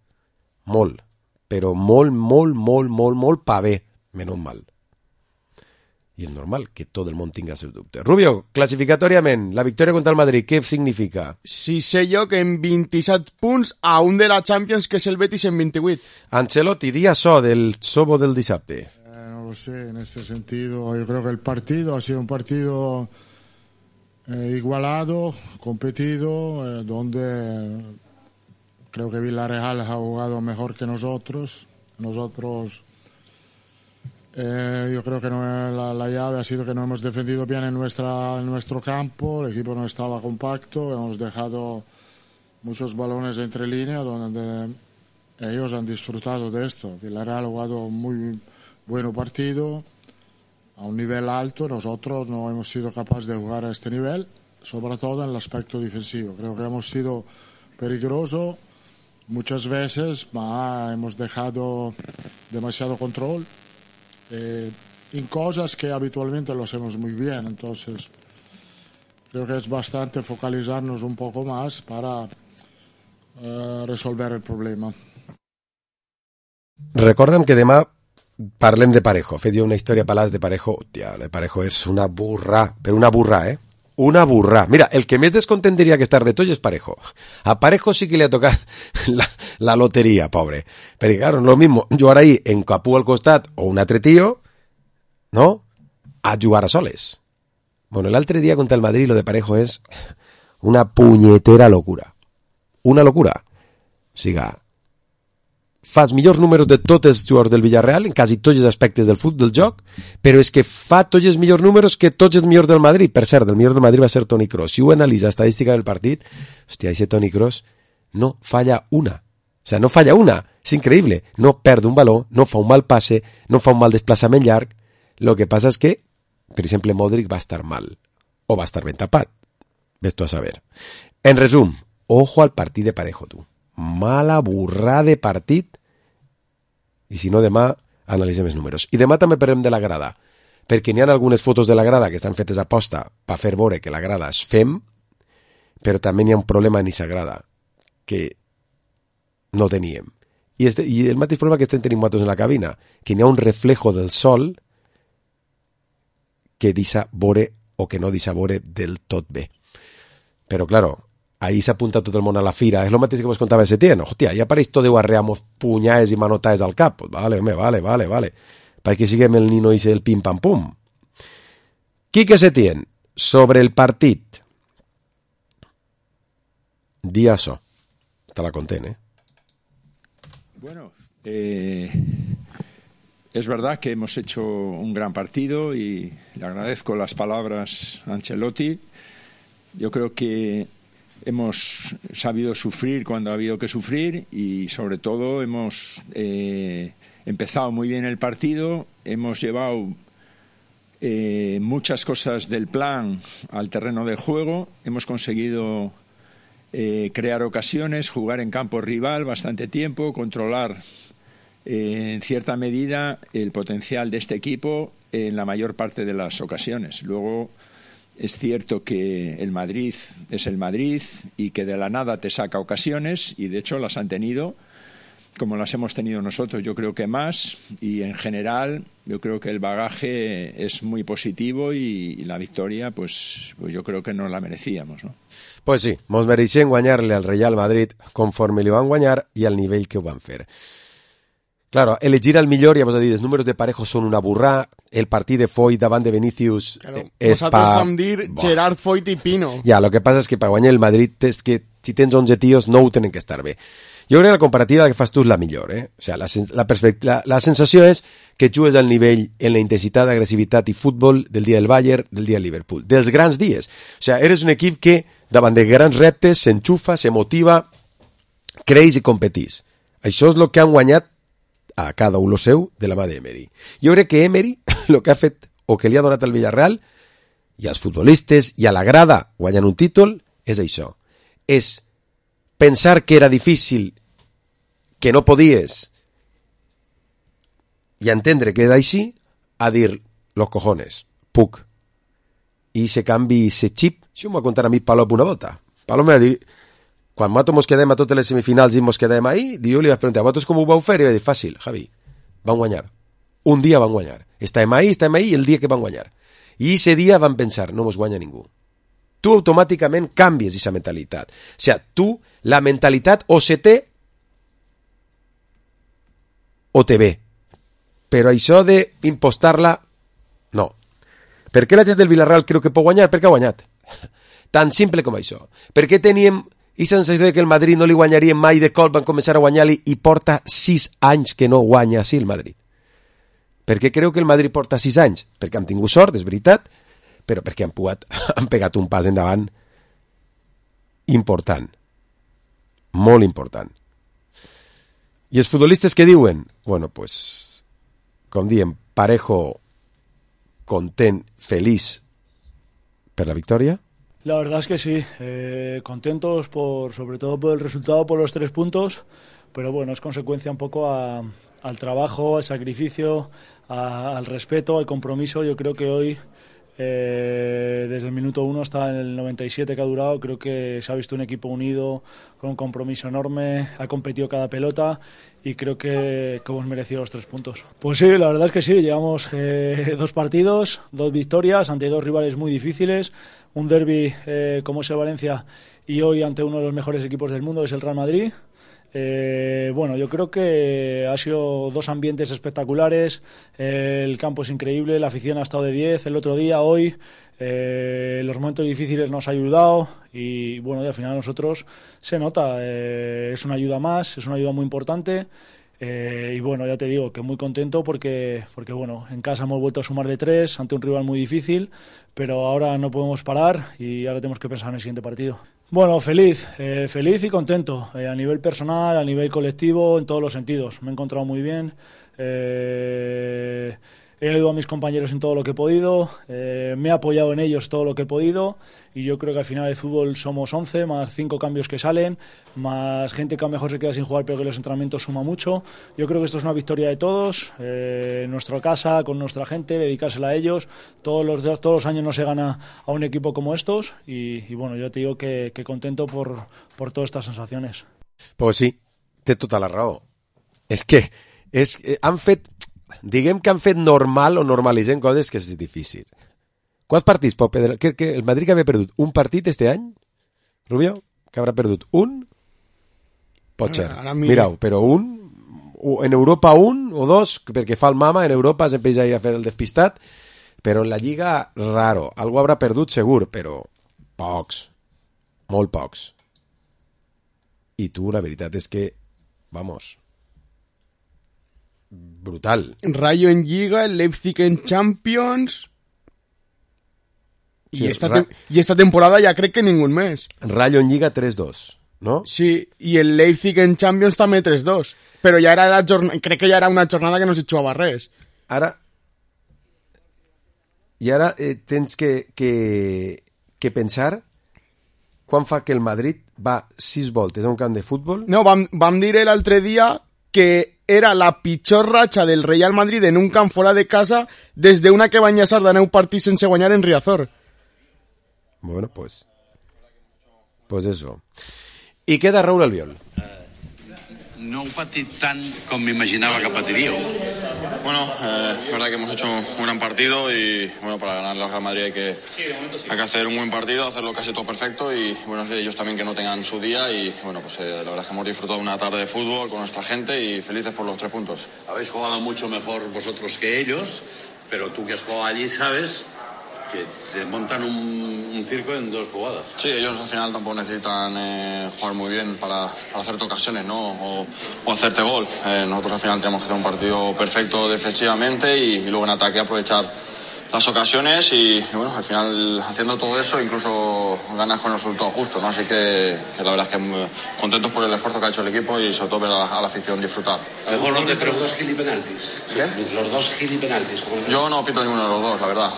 Molt. Però molt pa bé. Menys mal. I és normal que tot el món tinga seus dubtes. Rubio, classificatòriament, la victòria contra el Madrid, què significa? Sí sé jo que en 27 punts a un de la Champions, que és el Betis, en 28. Ancelotti, di això del Sobo del dissabte. No lo sé, en este sentido, yo creo que el partido ha sido un partido igualado, competido, donde creo que Villarreal ha jugado mejor que nosotros. Yo creo que la llave ha sido que no hemos defendido bien en nuestro campo, el equipo no estaba compacto, hemos dejado muchos balones entre líneas donde ellos han disfrutado de esto. Villarreal ha jugado muy buen partido, a un nivel alto, nosotros no hemos sido capaces de jugar a este nivel, sobre todo en el aspecto defensivo. Creo que hemos sido peligrosos muchas veces, pero hemos dejado demasiado control. En cosas que habitualmente lo hacemos muy bien, entonces creo que es bastante focalizarnos un poco más para resolver el problema. Recorda'm que demà parlem de Parejo. Fet jo una història palàs de Parejo. Hòstia, de Parejo és una burra, però una burra, Una burra. Mira, el que més descontent diria que estar de tot és Parejo. A Parejo sí que le ha tocat la lotería, pobre. Perquè, claro, no es lo mismo jugar ahí en Capú al costat o un altre tío, ¿no? A jugar a soles. Bueno, l'altre dia contra el Madrid lo de Parejo és una punyetera locura. Una locura. O sigui, fa els millors números de tots els jugadors del Villarreal en quasi tots els aspectes del futbol, del joc, però és que fa tots els millors números que tots els millors del Madrid. Per cert, el millor del Madrid va ser Toni Kroos. Si ho analitza estadística del partit, hòstia, ese Toni Kroos no falla una. O sea, no falla una. És increïble. No perd un baló, no fa un mal passe, no fa un mal desplaçament llarg. Lo que passa és que, per exemple, Modric va estar mal. O va estar ben tapat. Ves tu a saber. En resum, ojo al partit de Parejo, tu. Mala burrada de partit. I si no, demà analitzem els números. I demà també parlem de la grada, perquè n'hi ha algunes fotos de la grada que estan fetes a posta per fer veure que la grada és fem, però també n'hi ha un problema en aquesta grada que no teníem. I el mateix problema que estem tenint nosaltres en la cabina, que n'hi ha un reflejo del sol que deixa veure o que no deixa veure del tot bé. Però, claro, ahí s'apunta tot el món a la fira. És el mateix que vos contava Setién. Hòstia, ja pareix tot de guarreamos punyades i manotades al cap. Pues vale, home, vale. Per que siguem el nino i el pim-pam-pum. Quique Setién, sobre el partit. Di això. Estava content, ¿eh? Bueno, es verdad que hemos hecho un gran partido y le agradezco las palabras a Ancelotti. Yo creo que hemos sabido sufrir cuando ha habido que sufrir y sobre todo hemos empezado muy bien el partido, hemos llevado muchas cosas del plan al terreno de juego, hemos conseguido crear ocasiones, jugar en campo rival bastante tiempo, controlar en cierta medida el potencial de este equipo en la mayor parte de las ocasiones. Luego es cierto que el Madrid es el Madrid y que de la nada te saca ocasiones y de hecho las han tenido como las hemos tenido nosotros, yo creo que más, y en general yo creo que el bagaje es muy positivo y la victoria pues yo creo que no la merecíamos, ¿no? Pues sí, mos mereixem guanyar-le al Real Madrid conforme li van guanyar i al nivell que ho van fer. Claro, elegir el millor, ja vos he dit, els números de Parejo són una burrà, el partit de Foyt davant de Vinicius claro, nosaltres vam dir Gerard, Foyt i Pino. Ja, lo que passa és que per guanyar el Madrid és que si tens 11 tios no ho tenen que estar bé. Jo crec que la comparativa que fas tu és la millor, eh? O sea, la sensació és que jugues al nivell en la intensitat, agressivitat i futbol del dia del Bayern, del dia del Liverpool, dels grans dies. O sea, eres un equip que davant de grans reptes s'enxufa, se motiva, creix i competís. Això és el que han guanyat a cada un lo seu de la mà d'Emery. Jo crec que Emery, el que ha fet o que li ha donat al Villarreal i als futbolistes i a la grada guanyant un títol és això. És pensar que era difícil, que no podies i entendre que era així, a dir los cojones, puc. I se canvi ese chip. Això m'ho va contar a mi Palop una volta. Palop m'ha dit, quan nosaltres mos quedem a totes les semifinals i mos quedem ahí, jo li vaig preguntar, vosaltres com ho vau fer? I va dir, fàcil, Javi, van guanyar. Un dia van guanyar. Estàvem ahí el dia que van guanyar. I ese dia van pensar, no mos guanya ningú. Tu automàticament canvies aquesta mentalitat. O sigui, tu, la mentalitat o se té o te ve. Però això d'impostar-la, no. Per què la gent del Villarreal creu que pot guanyar? Perquè ha guanyat. Tan simple com això. Per què teníem i sensació que el Madrid no li guanyaria mai de cop, van començar a guanyar-li i porta 6 anys que no guanya així el Madrid? Per què creu que el Madrid porta 6 anys? Perquè han tingut sort, és veritat, però perquè han pegat un pas endavant important, molt important. I els futbolistes que diuen? Bueno, pues, com diem, Parejo content, feliç per la victòria. La verdad es que sí, contentos sobre todo por el resultado, por los 3 puntos, pero bueno, es consecuencia un poco al trabajo, al sacrificio, al respeto, al compromiso. Yo creo que hoy, desde el minuto 1 hasta el 97 que ha durado, creo que se ha visto un equipo unido, con un compromiso enorme, ha competido cada pelota y creo que hemos merecido los 3 puntos. Pues sí, la verdad es que sí, llevamos 2 partidos, 2 victorias ante 2 rivales muy difíciles, un derbi como es el Valencia y hoy ante uno de los mejores equipos del mundo, que es el Real Madrid. Bueno, yo creo que ha sido 2 ambientes espectaculares, el campo es increíble, la afición ha estado de 10 el otro día, hoy, los momentos difíciles nos ha ayudado y bueno, y al final nosotros se nota, es una ayuda más, es una ayuda muy importante. Y bueno, ya te digo que muy contento porque bueno, en casa hemos vuelto a sumar de 3 ante un rival muy difícil, pero ahora no podemos parar y ahora tenemos que pensar en el siguiente partido. Bueno, feliz y contento, a nivel personal, a nivel colectivo, en todos los sentidos. Me he encontrado muy bien, he ayudado a mis compañeros en todo lo que he podido, me he apoyado en ellos todo lo que he podido y yo creo que al final del fútbol somos 11, más 5 cambios que salen, más gente que a lo mejor se queda sin jugar pero que los entrenamientos suma mucho. Yo creo que esto es una victoria de todos, en nuestra casa, con nuestra gente, dedicársela a ellos. Todos los años no se gana a un equipo como estos y bueno, yo te digo que contento por todas estas sensaciones. Pues sí, té tota la raó. És que han fet... Diguem que han fet normal o normalitzem coses que és difícil. Quants partits pot perdre? Que el Madrid que havia perdut un partit este any, Rubio, que haurà perdut un, pot ser. Mireu, però en Europa un o 2, perquè fa el mama, en Europa sempre ja hi a fer el despistat, però en la Lliga, raro. Algú haurà perdut segur, però pocs, molt pocs. I tu, la veritat és que, vamos... brutal. Rayo en Liga, el Leipzig en Champions sí, y esta temporada ya crec que ningún mes. Rayo en Liga 3-2, ¿no? Sí, y el Leipzig en Champions també 3-2, però ja era crec que ja era una jornada que no se jugava res. Ara tens que pensar quan fa que el Madrid va 6 voltes a un camp de futbol. No, vam dir l'altre dia que era la pitjor ratxa del Real Madrid en un camp fora de casa des d'una que va enllaçar de 9 partits sense guanyar en Riazor. Bueno, pues eso. I queda Raúl Albiol. No he patit tant com m'imaginava que patiríeu. Bueno, es verdad que hemos hecho un gran partido y bueno, para ganar al Real Madrid hay que hacer un buen partido, hacerlo casi todo perfecto y bueno, ellos también que no tengan su día y bueno, pues la verdad es que hemos disfrutado una tarde de fútbol con nuestra gente y felices por los 3 puntos. Habéis jugado mucho mejor vosotros que ellos, pero tú que has jugado allí sabes que te montan un circo en 2 jugadas. Sí, ellos al final tampoco necesitan jugar muy bien para hacerte ocasiones, ¿no? O hacerte gol. Nosotros al final tenemos que hacer un partido perfecto defensivamente y luego en ataque aprovechar las ocasiones y bueno, al final haciendo todo eso incluso ganas con el resultado justo, ¿no? Así que la verdad es que contentos por el esfuerzo que ha hecho el equipo y sobre todo ver a la afición disfrutar. A lo mejor no te los 2 gilipenaltis. ¿Qué? Los 2 gilipenaltis. Yo no pito ninguno de los 2, la verdad.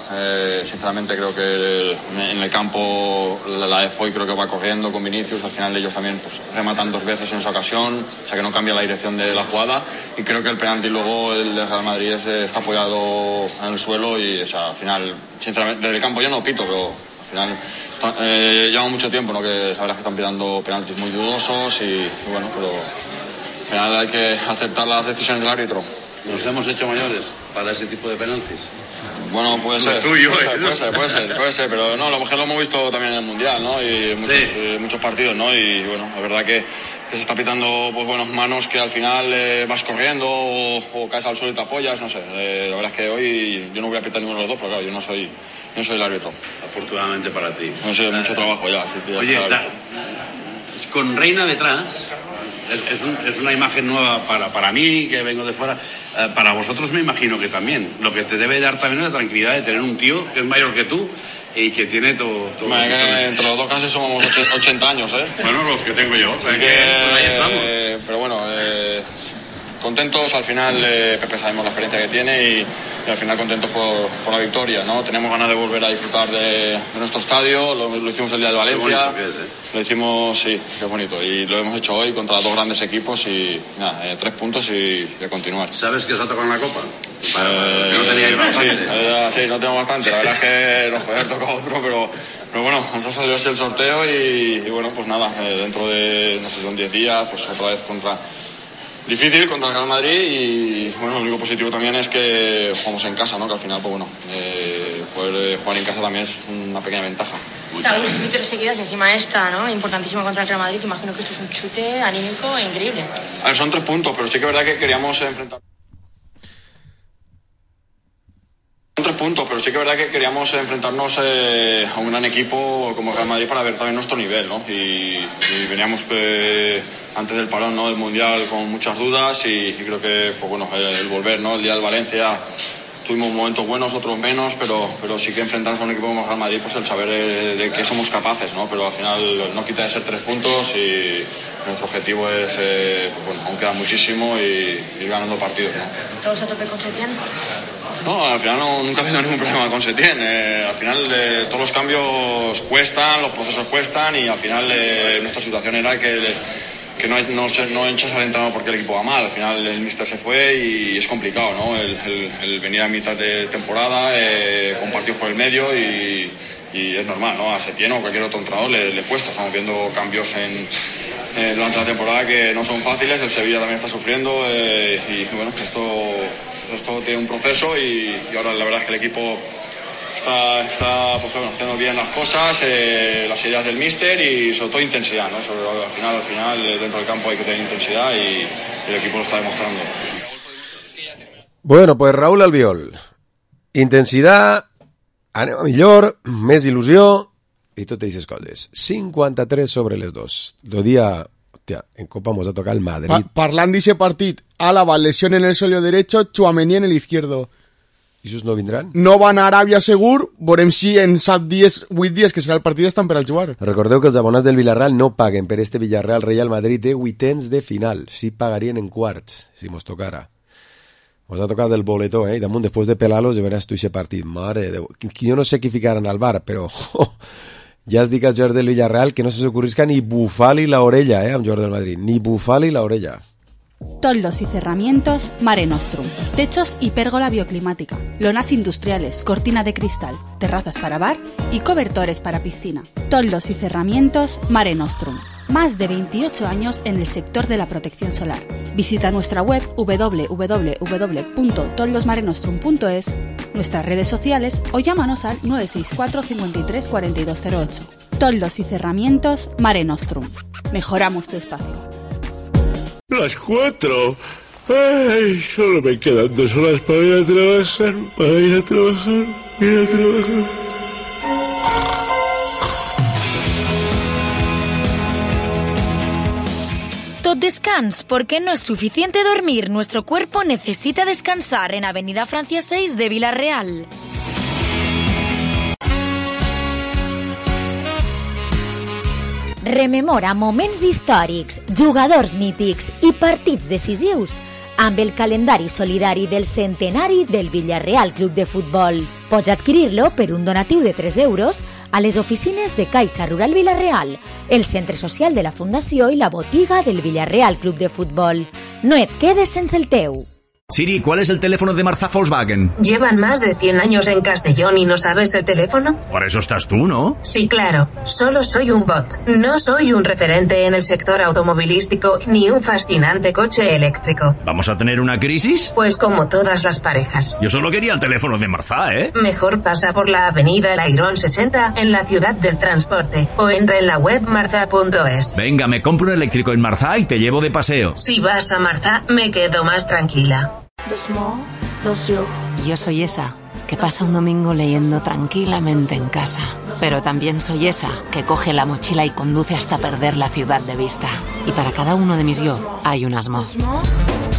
Sinceramente creo que en el campo la EFOI creo que va corriendo con Vinicius, al final ellos también pues rematan 2 veces en esa ocasión, o sea que no cambia la dirección de la jugada y creo que el penalti luego el de Real Madrid está apoyado en el suelo y o sea, al final, sinceramente, desde el campo yo no pito, pero al final lleva mucho tiempo, ¿no? Que la verdad es que están pitando penaltis muy dudosos y bueno, pero al final hay que aceptar las decisiones del árbitro. Nos hemos hecho mayores para ese tipo de penaltis. Bueno, puede ser. Tuyo, puede ser, pero no, lo mejor lo hemos visto también en el Mundial, ¿no? Y muchos partidos, ¿no? Y bueno, la verdad que se está pitando pues buenas manos que al final vas corriendo o caes al suelo y te apoyas, no sé. La verdad es que hoy yo no voy a pitar ninguno de los 2, pero claro, yo no soy el árbitro. Afortunadamente para ti. No sé, mucho trabajo ya. Oye, con Reina detrás... Es una imagen nueva para mí, que vengo de fuera. Para vosotros me imagino que también. Lo que te debe dar también es la tranquilidad de tener un tío que es mayor que tú y que tiene todo... Entre los 2 casi somos 80 años, ¿eh? Bueno, los que tengo yo. O sea que ahí estamos. Pero bueno, contentos. Al final Pepe sabemos la experiencia que tiene y al final contentos por la victoria, ¿no? Tenemos ganas de volver a disfrutar de nuestro estadio, lo hicimos el día de Valencia, lo hicimos, sí, qué bonito, y lo hemos hecho hoy contra 2 grandes equipos y nada, 3 puntos y de continuar. ¿Sabes que os ha tocado en la Copa? No teníais bastante. Sí, no tenemos bastante, la verdad es que nos puede haber tocado otro, pero bueno, nos ha salido así el sorteo y bueno, pues nada, dentro de, no sé, son 10 días, pues otra vez contra Difícil contra el Real Madrid y bueno, lo único positivo también es que jugamos en casa, ¿no? Que al final, pues bueno, poder jugar en casa también es una pequeña ventaja. Claro, dos victorias seguidas y encima esta, ¿no? Importantísima contra el Real Madrid. Imagino que esto es un chute anímico increíble. A ver, son 3 puntos, pero sí que es verdad que queríamos enfrentar. Son 3 puntos, pero sí que es verdad que queríamos enfrentarnos a un gran equipo como el Real Madrid para ver también nuestro nivel, ¿no? Y veníamos antes del parón, ¿no? Del Mundial con muchas dudas y creo que, pues bueno, el volver, ¿no? El día del Valencia tuvimos momentos buenos, otros menos, pero sí que enfrentarnos a un equipo como el Real Madrid, pues el saber de qué somos capaces, ¿no? Pero al final no quita de ser 3 puntos y nuestro objetivo es, pues bueno, aún queda muchísimo y ir ganando partidos, ¿no? ¿Todos a tope con Setién? No, al final nunca ha habido ningún problema con Setién. Al final todos los cambios cuestan, los procesos cuestan y al final nuestra situación era que no echas al entrenador porque el equipo va mal. Al final el míster se fue y es complicado, ¿no? El venir a mitad de temporada con partidos por el medio y es normal, ¿no? A Setién o cualquier otro entrenador le cuesta. Estamos viendo cambios durante la temporada que no son fáciles. El Sevilla también está sufriendo y bueno, esto tiene un proceso y ahora la verdad es que el equipo está pues bueno, haciendo bien las cosas, las ideas del míster y sobre todo intensidad, ¿no? Al final dentro del campo hay que tener intensidad y el equipo lo está demostrando. Bueno, pues Raúl Albiol, intensitat, anem a millor, més il·lusió i totes aquestes coses. 53 sobre les 2. Do dia, hòstia, en Copa mos ha tocat el Madrid. Parlant d'ese partit, Álava, lesión en el solio derecho, Tchouaméni en el izquierdo. I esos no vindran? No van a Aràbia segur, veurem si en 8 dies que serà el partit estan per al jugar. Recordeu que els abonats del Villarreal no paguen per este Villarreal Real Madrid de vuitens de final. Sí pagarien en quarts, si mos tocara. Mos ha tocat el boletó, i damunt, després de pelar-los, ja veràs tu aquest partit. Mare de Déu. Jo no sé qui ficaran al bar, però ja es dic als jugadors del Villarreal que no se s'ocorrisca ni bufar-li l'orella, a un jugador del Madrid. Ni bufar-li l'orella. Toldos y cerramientos Mare Nostrum. Techos y pérgola bioclimática. Lonas industriales, cortina de cristal, terrazas para bar y cobertores para piscina. Toldos y cerramientos Mare Nostrum. Más de 28 años en el sector de la protección solar. Visita nuestra web www.toldosmarenostrum.es, nuestras redes sociales o llámanos al 964 53 4208. Toldos y cerramientos Mare Nostrum. Mejoramos tu espacio. Las 4. Ay, solo me quedan 2 horas para ir a trabajar. Tot descans, porque no es suficiente dormir. Nuestro cuerpo necesita descansar en Avenida Francia 6 de Villarreal. Rememora moments històrics, jugadors mítics i partits decisius amb el calendari solidari del centenari del Villarreal Club de Futbol. Pots adquirir-lo per un donatiu de 3 euros a les oficines de Caixa Rural Villarreal, el centre social de la Fundació i la botiga del Villarreal Club de Futbol. No et quedes sense el teu. Siri, ¿cuál es el teléfono de Marzá Volkswagen? Llevan más de 100 años en Castellón y no sabes el teléfono. Por eso estás tú, ¿no? Sí, claro. Solo soy un bot. No soy un referente en el sector automovilístico ni un fascinante coche eléctrico. ¿Vamos a tener una crisis? Pues como todas las parejas. Yo solo quería el teléfono de Marzá, ¿eh? Mejor pasa por la avenida El Airón 60 en la ciudad del transporte o entra en la web marza.es. Venga, me compro un eléctrico en Marzá y te llevo de paseo. Si vas a Marzá, me quedo más tranquila. Yo soy esa que pasa un domingo leyendo tranquilamente en casa, pero también soy esa que coge la mochila y conduce hasta perder la ciudad de vista. Y para cada uno de mis yo hay un Asmo.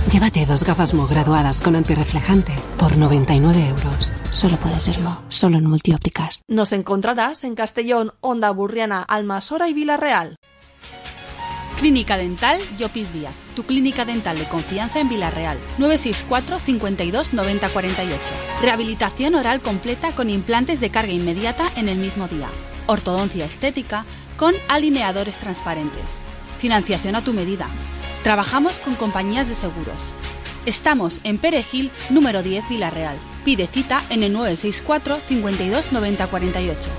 Llévate 2 gafas Mo graduadas con antirreflejante por 99 euros. Solo puede ser Mo, solo en Multiópticas. Nos encontrarás en Castellón, Onda Burriana, Almasora y Villarreal. Clínica Dental Llopis Díaz, tu clínica dental de confianza en Villarreal. 964 52 90 48. Rehabilitación oral completa con implantes de carga inmediata en el mismo día. Ortodoncia estética con alineadores transparentes. Financiación a tu medida. Trabajamos con compañías de seguros. Estamos en Perejil, número 10, Villarreal. Pide cita en el 964 52 90 48.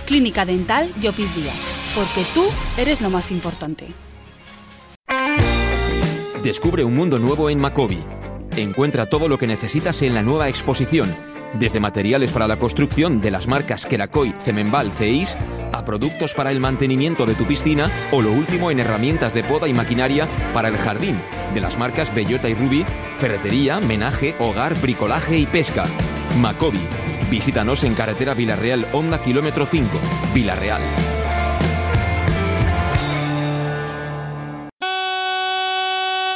Clínica Dental Llopis Díaz, porque tú eres lo más importante. Descubre un mundo nuevo en Macobi. Encuentra todo lo que necesitas en la nueva exposición, desde materiales para la construcción de las marcas Kerakoy, Cemenbal, Ceis, a productos para el mantenimiento de tu piscina o lo último en herramientas de poda y maquinaria para el jardín, de las marcas Bellota y Ruby, ferretería, menaje, hogar, bricolaje y pesca. Macobi. Visítanos en carretera Villarreal, Honda, kilómetro 5, Villarreal.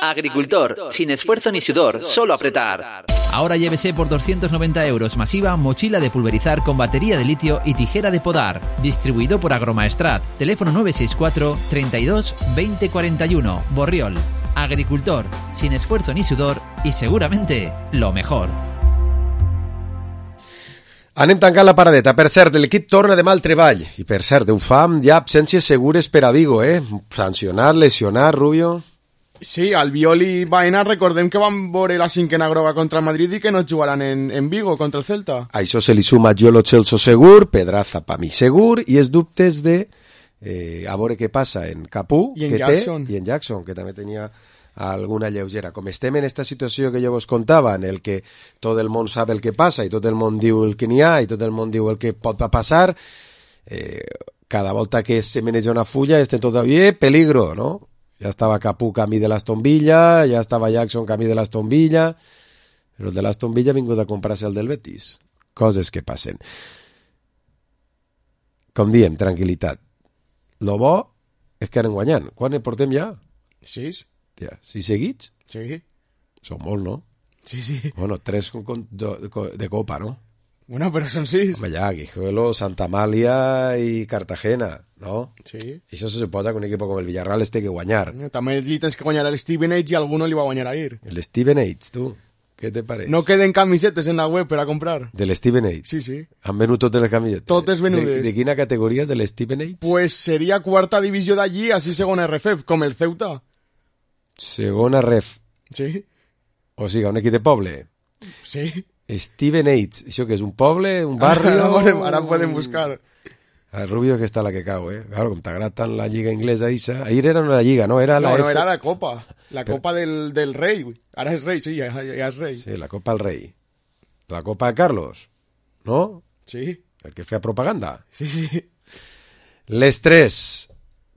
Agricultor, sin esfuerzo ni sudor, solo apretar. Ahora llévese por 290 € masiva mochila de pulverizar con batería de litio y tijera de podar. Distribuido por Agromaestrat. Teléfono 964 32 20 41. Borriol. Agricultor, sin esfuerzo ni sudor y seguramente lo mejor. Anem tancant la paradeta. Per cert, l'equip torna demà al treball. I per cert, ho fa amb ja absències segures per a Vigo, sancionat, lesionat, Rubio... Sí, Albiol i Baena, recordem que van veure la cinquena groga contra el Madrid i que no jugaran en Vigo contra el Celta. A això se li suma Giolo Celso segur, Pedraza pa mi segur, i els dubtes de a veure què passa en Capú i en Jackson. I en Jackson, que també tenia alguna lleugera. Com estem en esta situació que jo vos contava, en el que tot el món sap el que passa i tot el món diu el que n'hi ha i tot el món diu el que pot passar, cada volta que se maneja una fulla este todavía peligro, ¿no? Ya estaba Capú camí de l'Aston Villa, ya estaba Jackson camí de l'Aston Villa, però el de l'Aston Villa ha vingut a comprar-se el del Betis. Coses que passen. Com diem, tranquil·litat. Lo bo és que anem guanyant. Quan en portem ja? 6. Ja, 6 seguits? Sí. Són molt, no? Sí, sí. Bueno, 3 de Copa, ¿no? Bueno, pero son 6. Home, ja, Guijuelo, Santa Amalia i Cartagena, ¿no? Sí. I això se suposa que un equip com el Villarreal té que guanyar. També li tens que guanyar al Stevenage i alguno li va guanyar ahir. El Stevenage, tu, què te pareix? No queden camisetes en la web per a comprar. Del Stevenage? Sí, sí. Han venut totes les camisetes? Totes venudes. De quina categoria és del Stevenage? Pues seria quarta divisió d'allí, així segona RFF, com el Ceuta. Segona ref. Sí. O sigui, un equip de poble. Sí. Stevenage, això que és un poble, un barri... Ara podem buscar. El Rubio que està la que cau, Claro, com t'agrada tant la lliga inglesa, Isa. Ahir era una lliga, no? Era no, era la Copa. La Copa del Rei. Ara és rei, sí, ja és rei. Sí, la Copa del Rei. La Copa de Carlos, no? Sí. El que feia propaganda. Sí, sí. Les 3.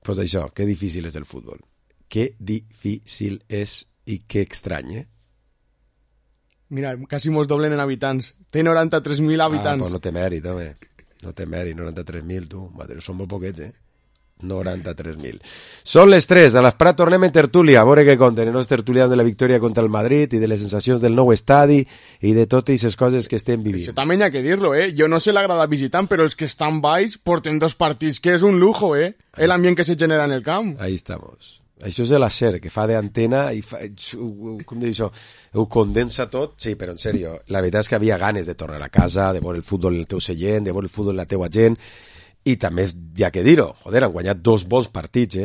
Pues això, que difícil és el futbol. Que difícil és i que estrany, Mira, quasi mos doblen en habitants. Té 93.000 habitants. Pues no té mèrit, home. No té mèrit, 93.000, tu. Madre, són molt poquets, 93.000. Són les 3, a l'Esprat tornem en tertúlia, a veure què conten els tertulians de la victòria contra el Madrid i de les sensacions del nou estadi i de totes aquestes coses que estem vivint. Això també hi ha que dir-lo, Jo no sé l'agrada visitant, però els que estan baix porten 2 partits, que és un lujo, l'ambient que se genera en el camp. Ahí estamos. Això és de la SER, que fa d'antena i fa, com diu això, ho condensa tot. Sí, però en sèrio, la veritat és que havia ganes de tornar a casa, de veure el futbol en el teu seient, de veure el futbol en la teua gent, i també hi ha que dir-ho, joder, han guanyat 2 bons partits,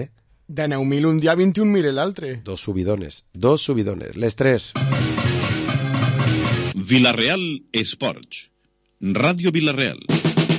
De 9.000 un dia, 21.000 l'altre. 2 subidones, les 3. Villarreal Esports, Ràdio Villarreal.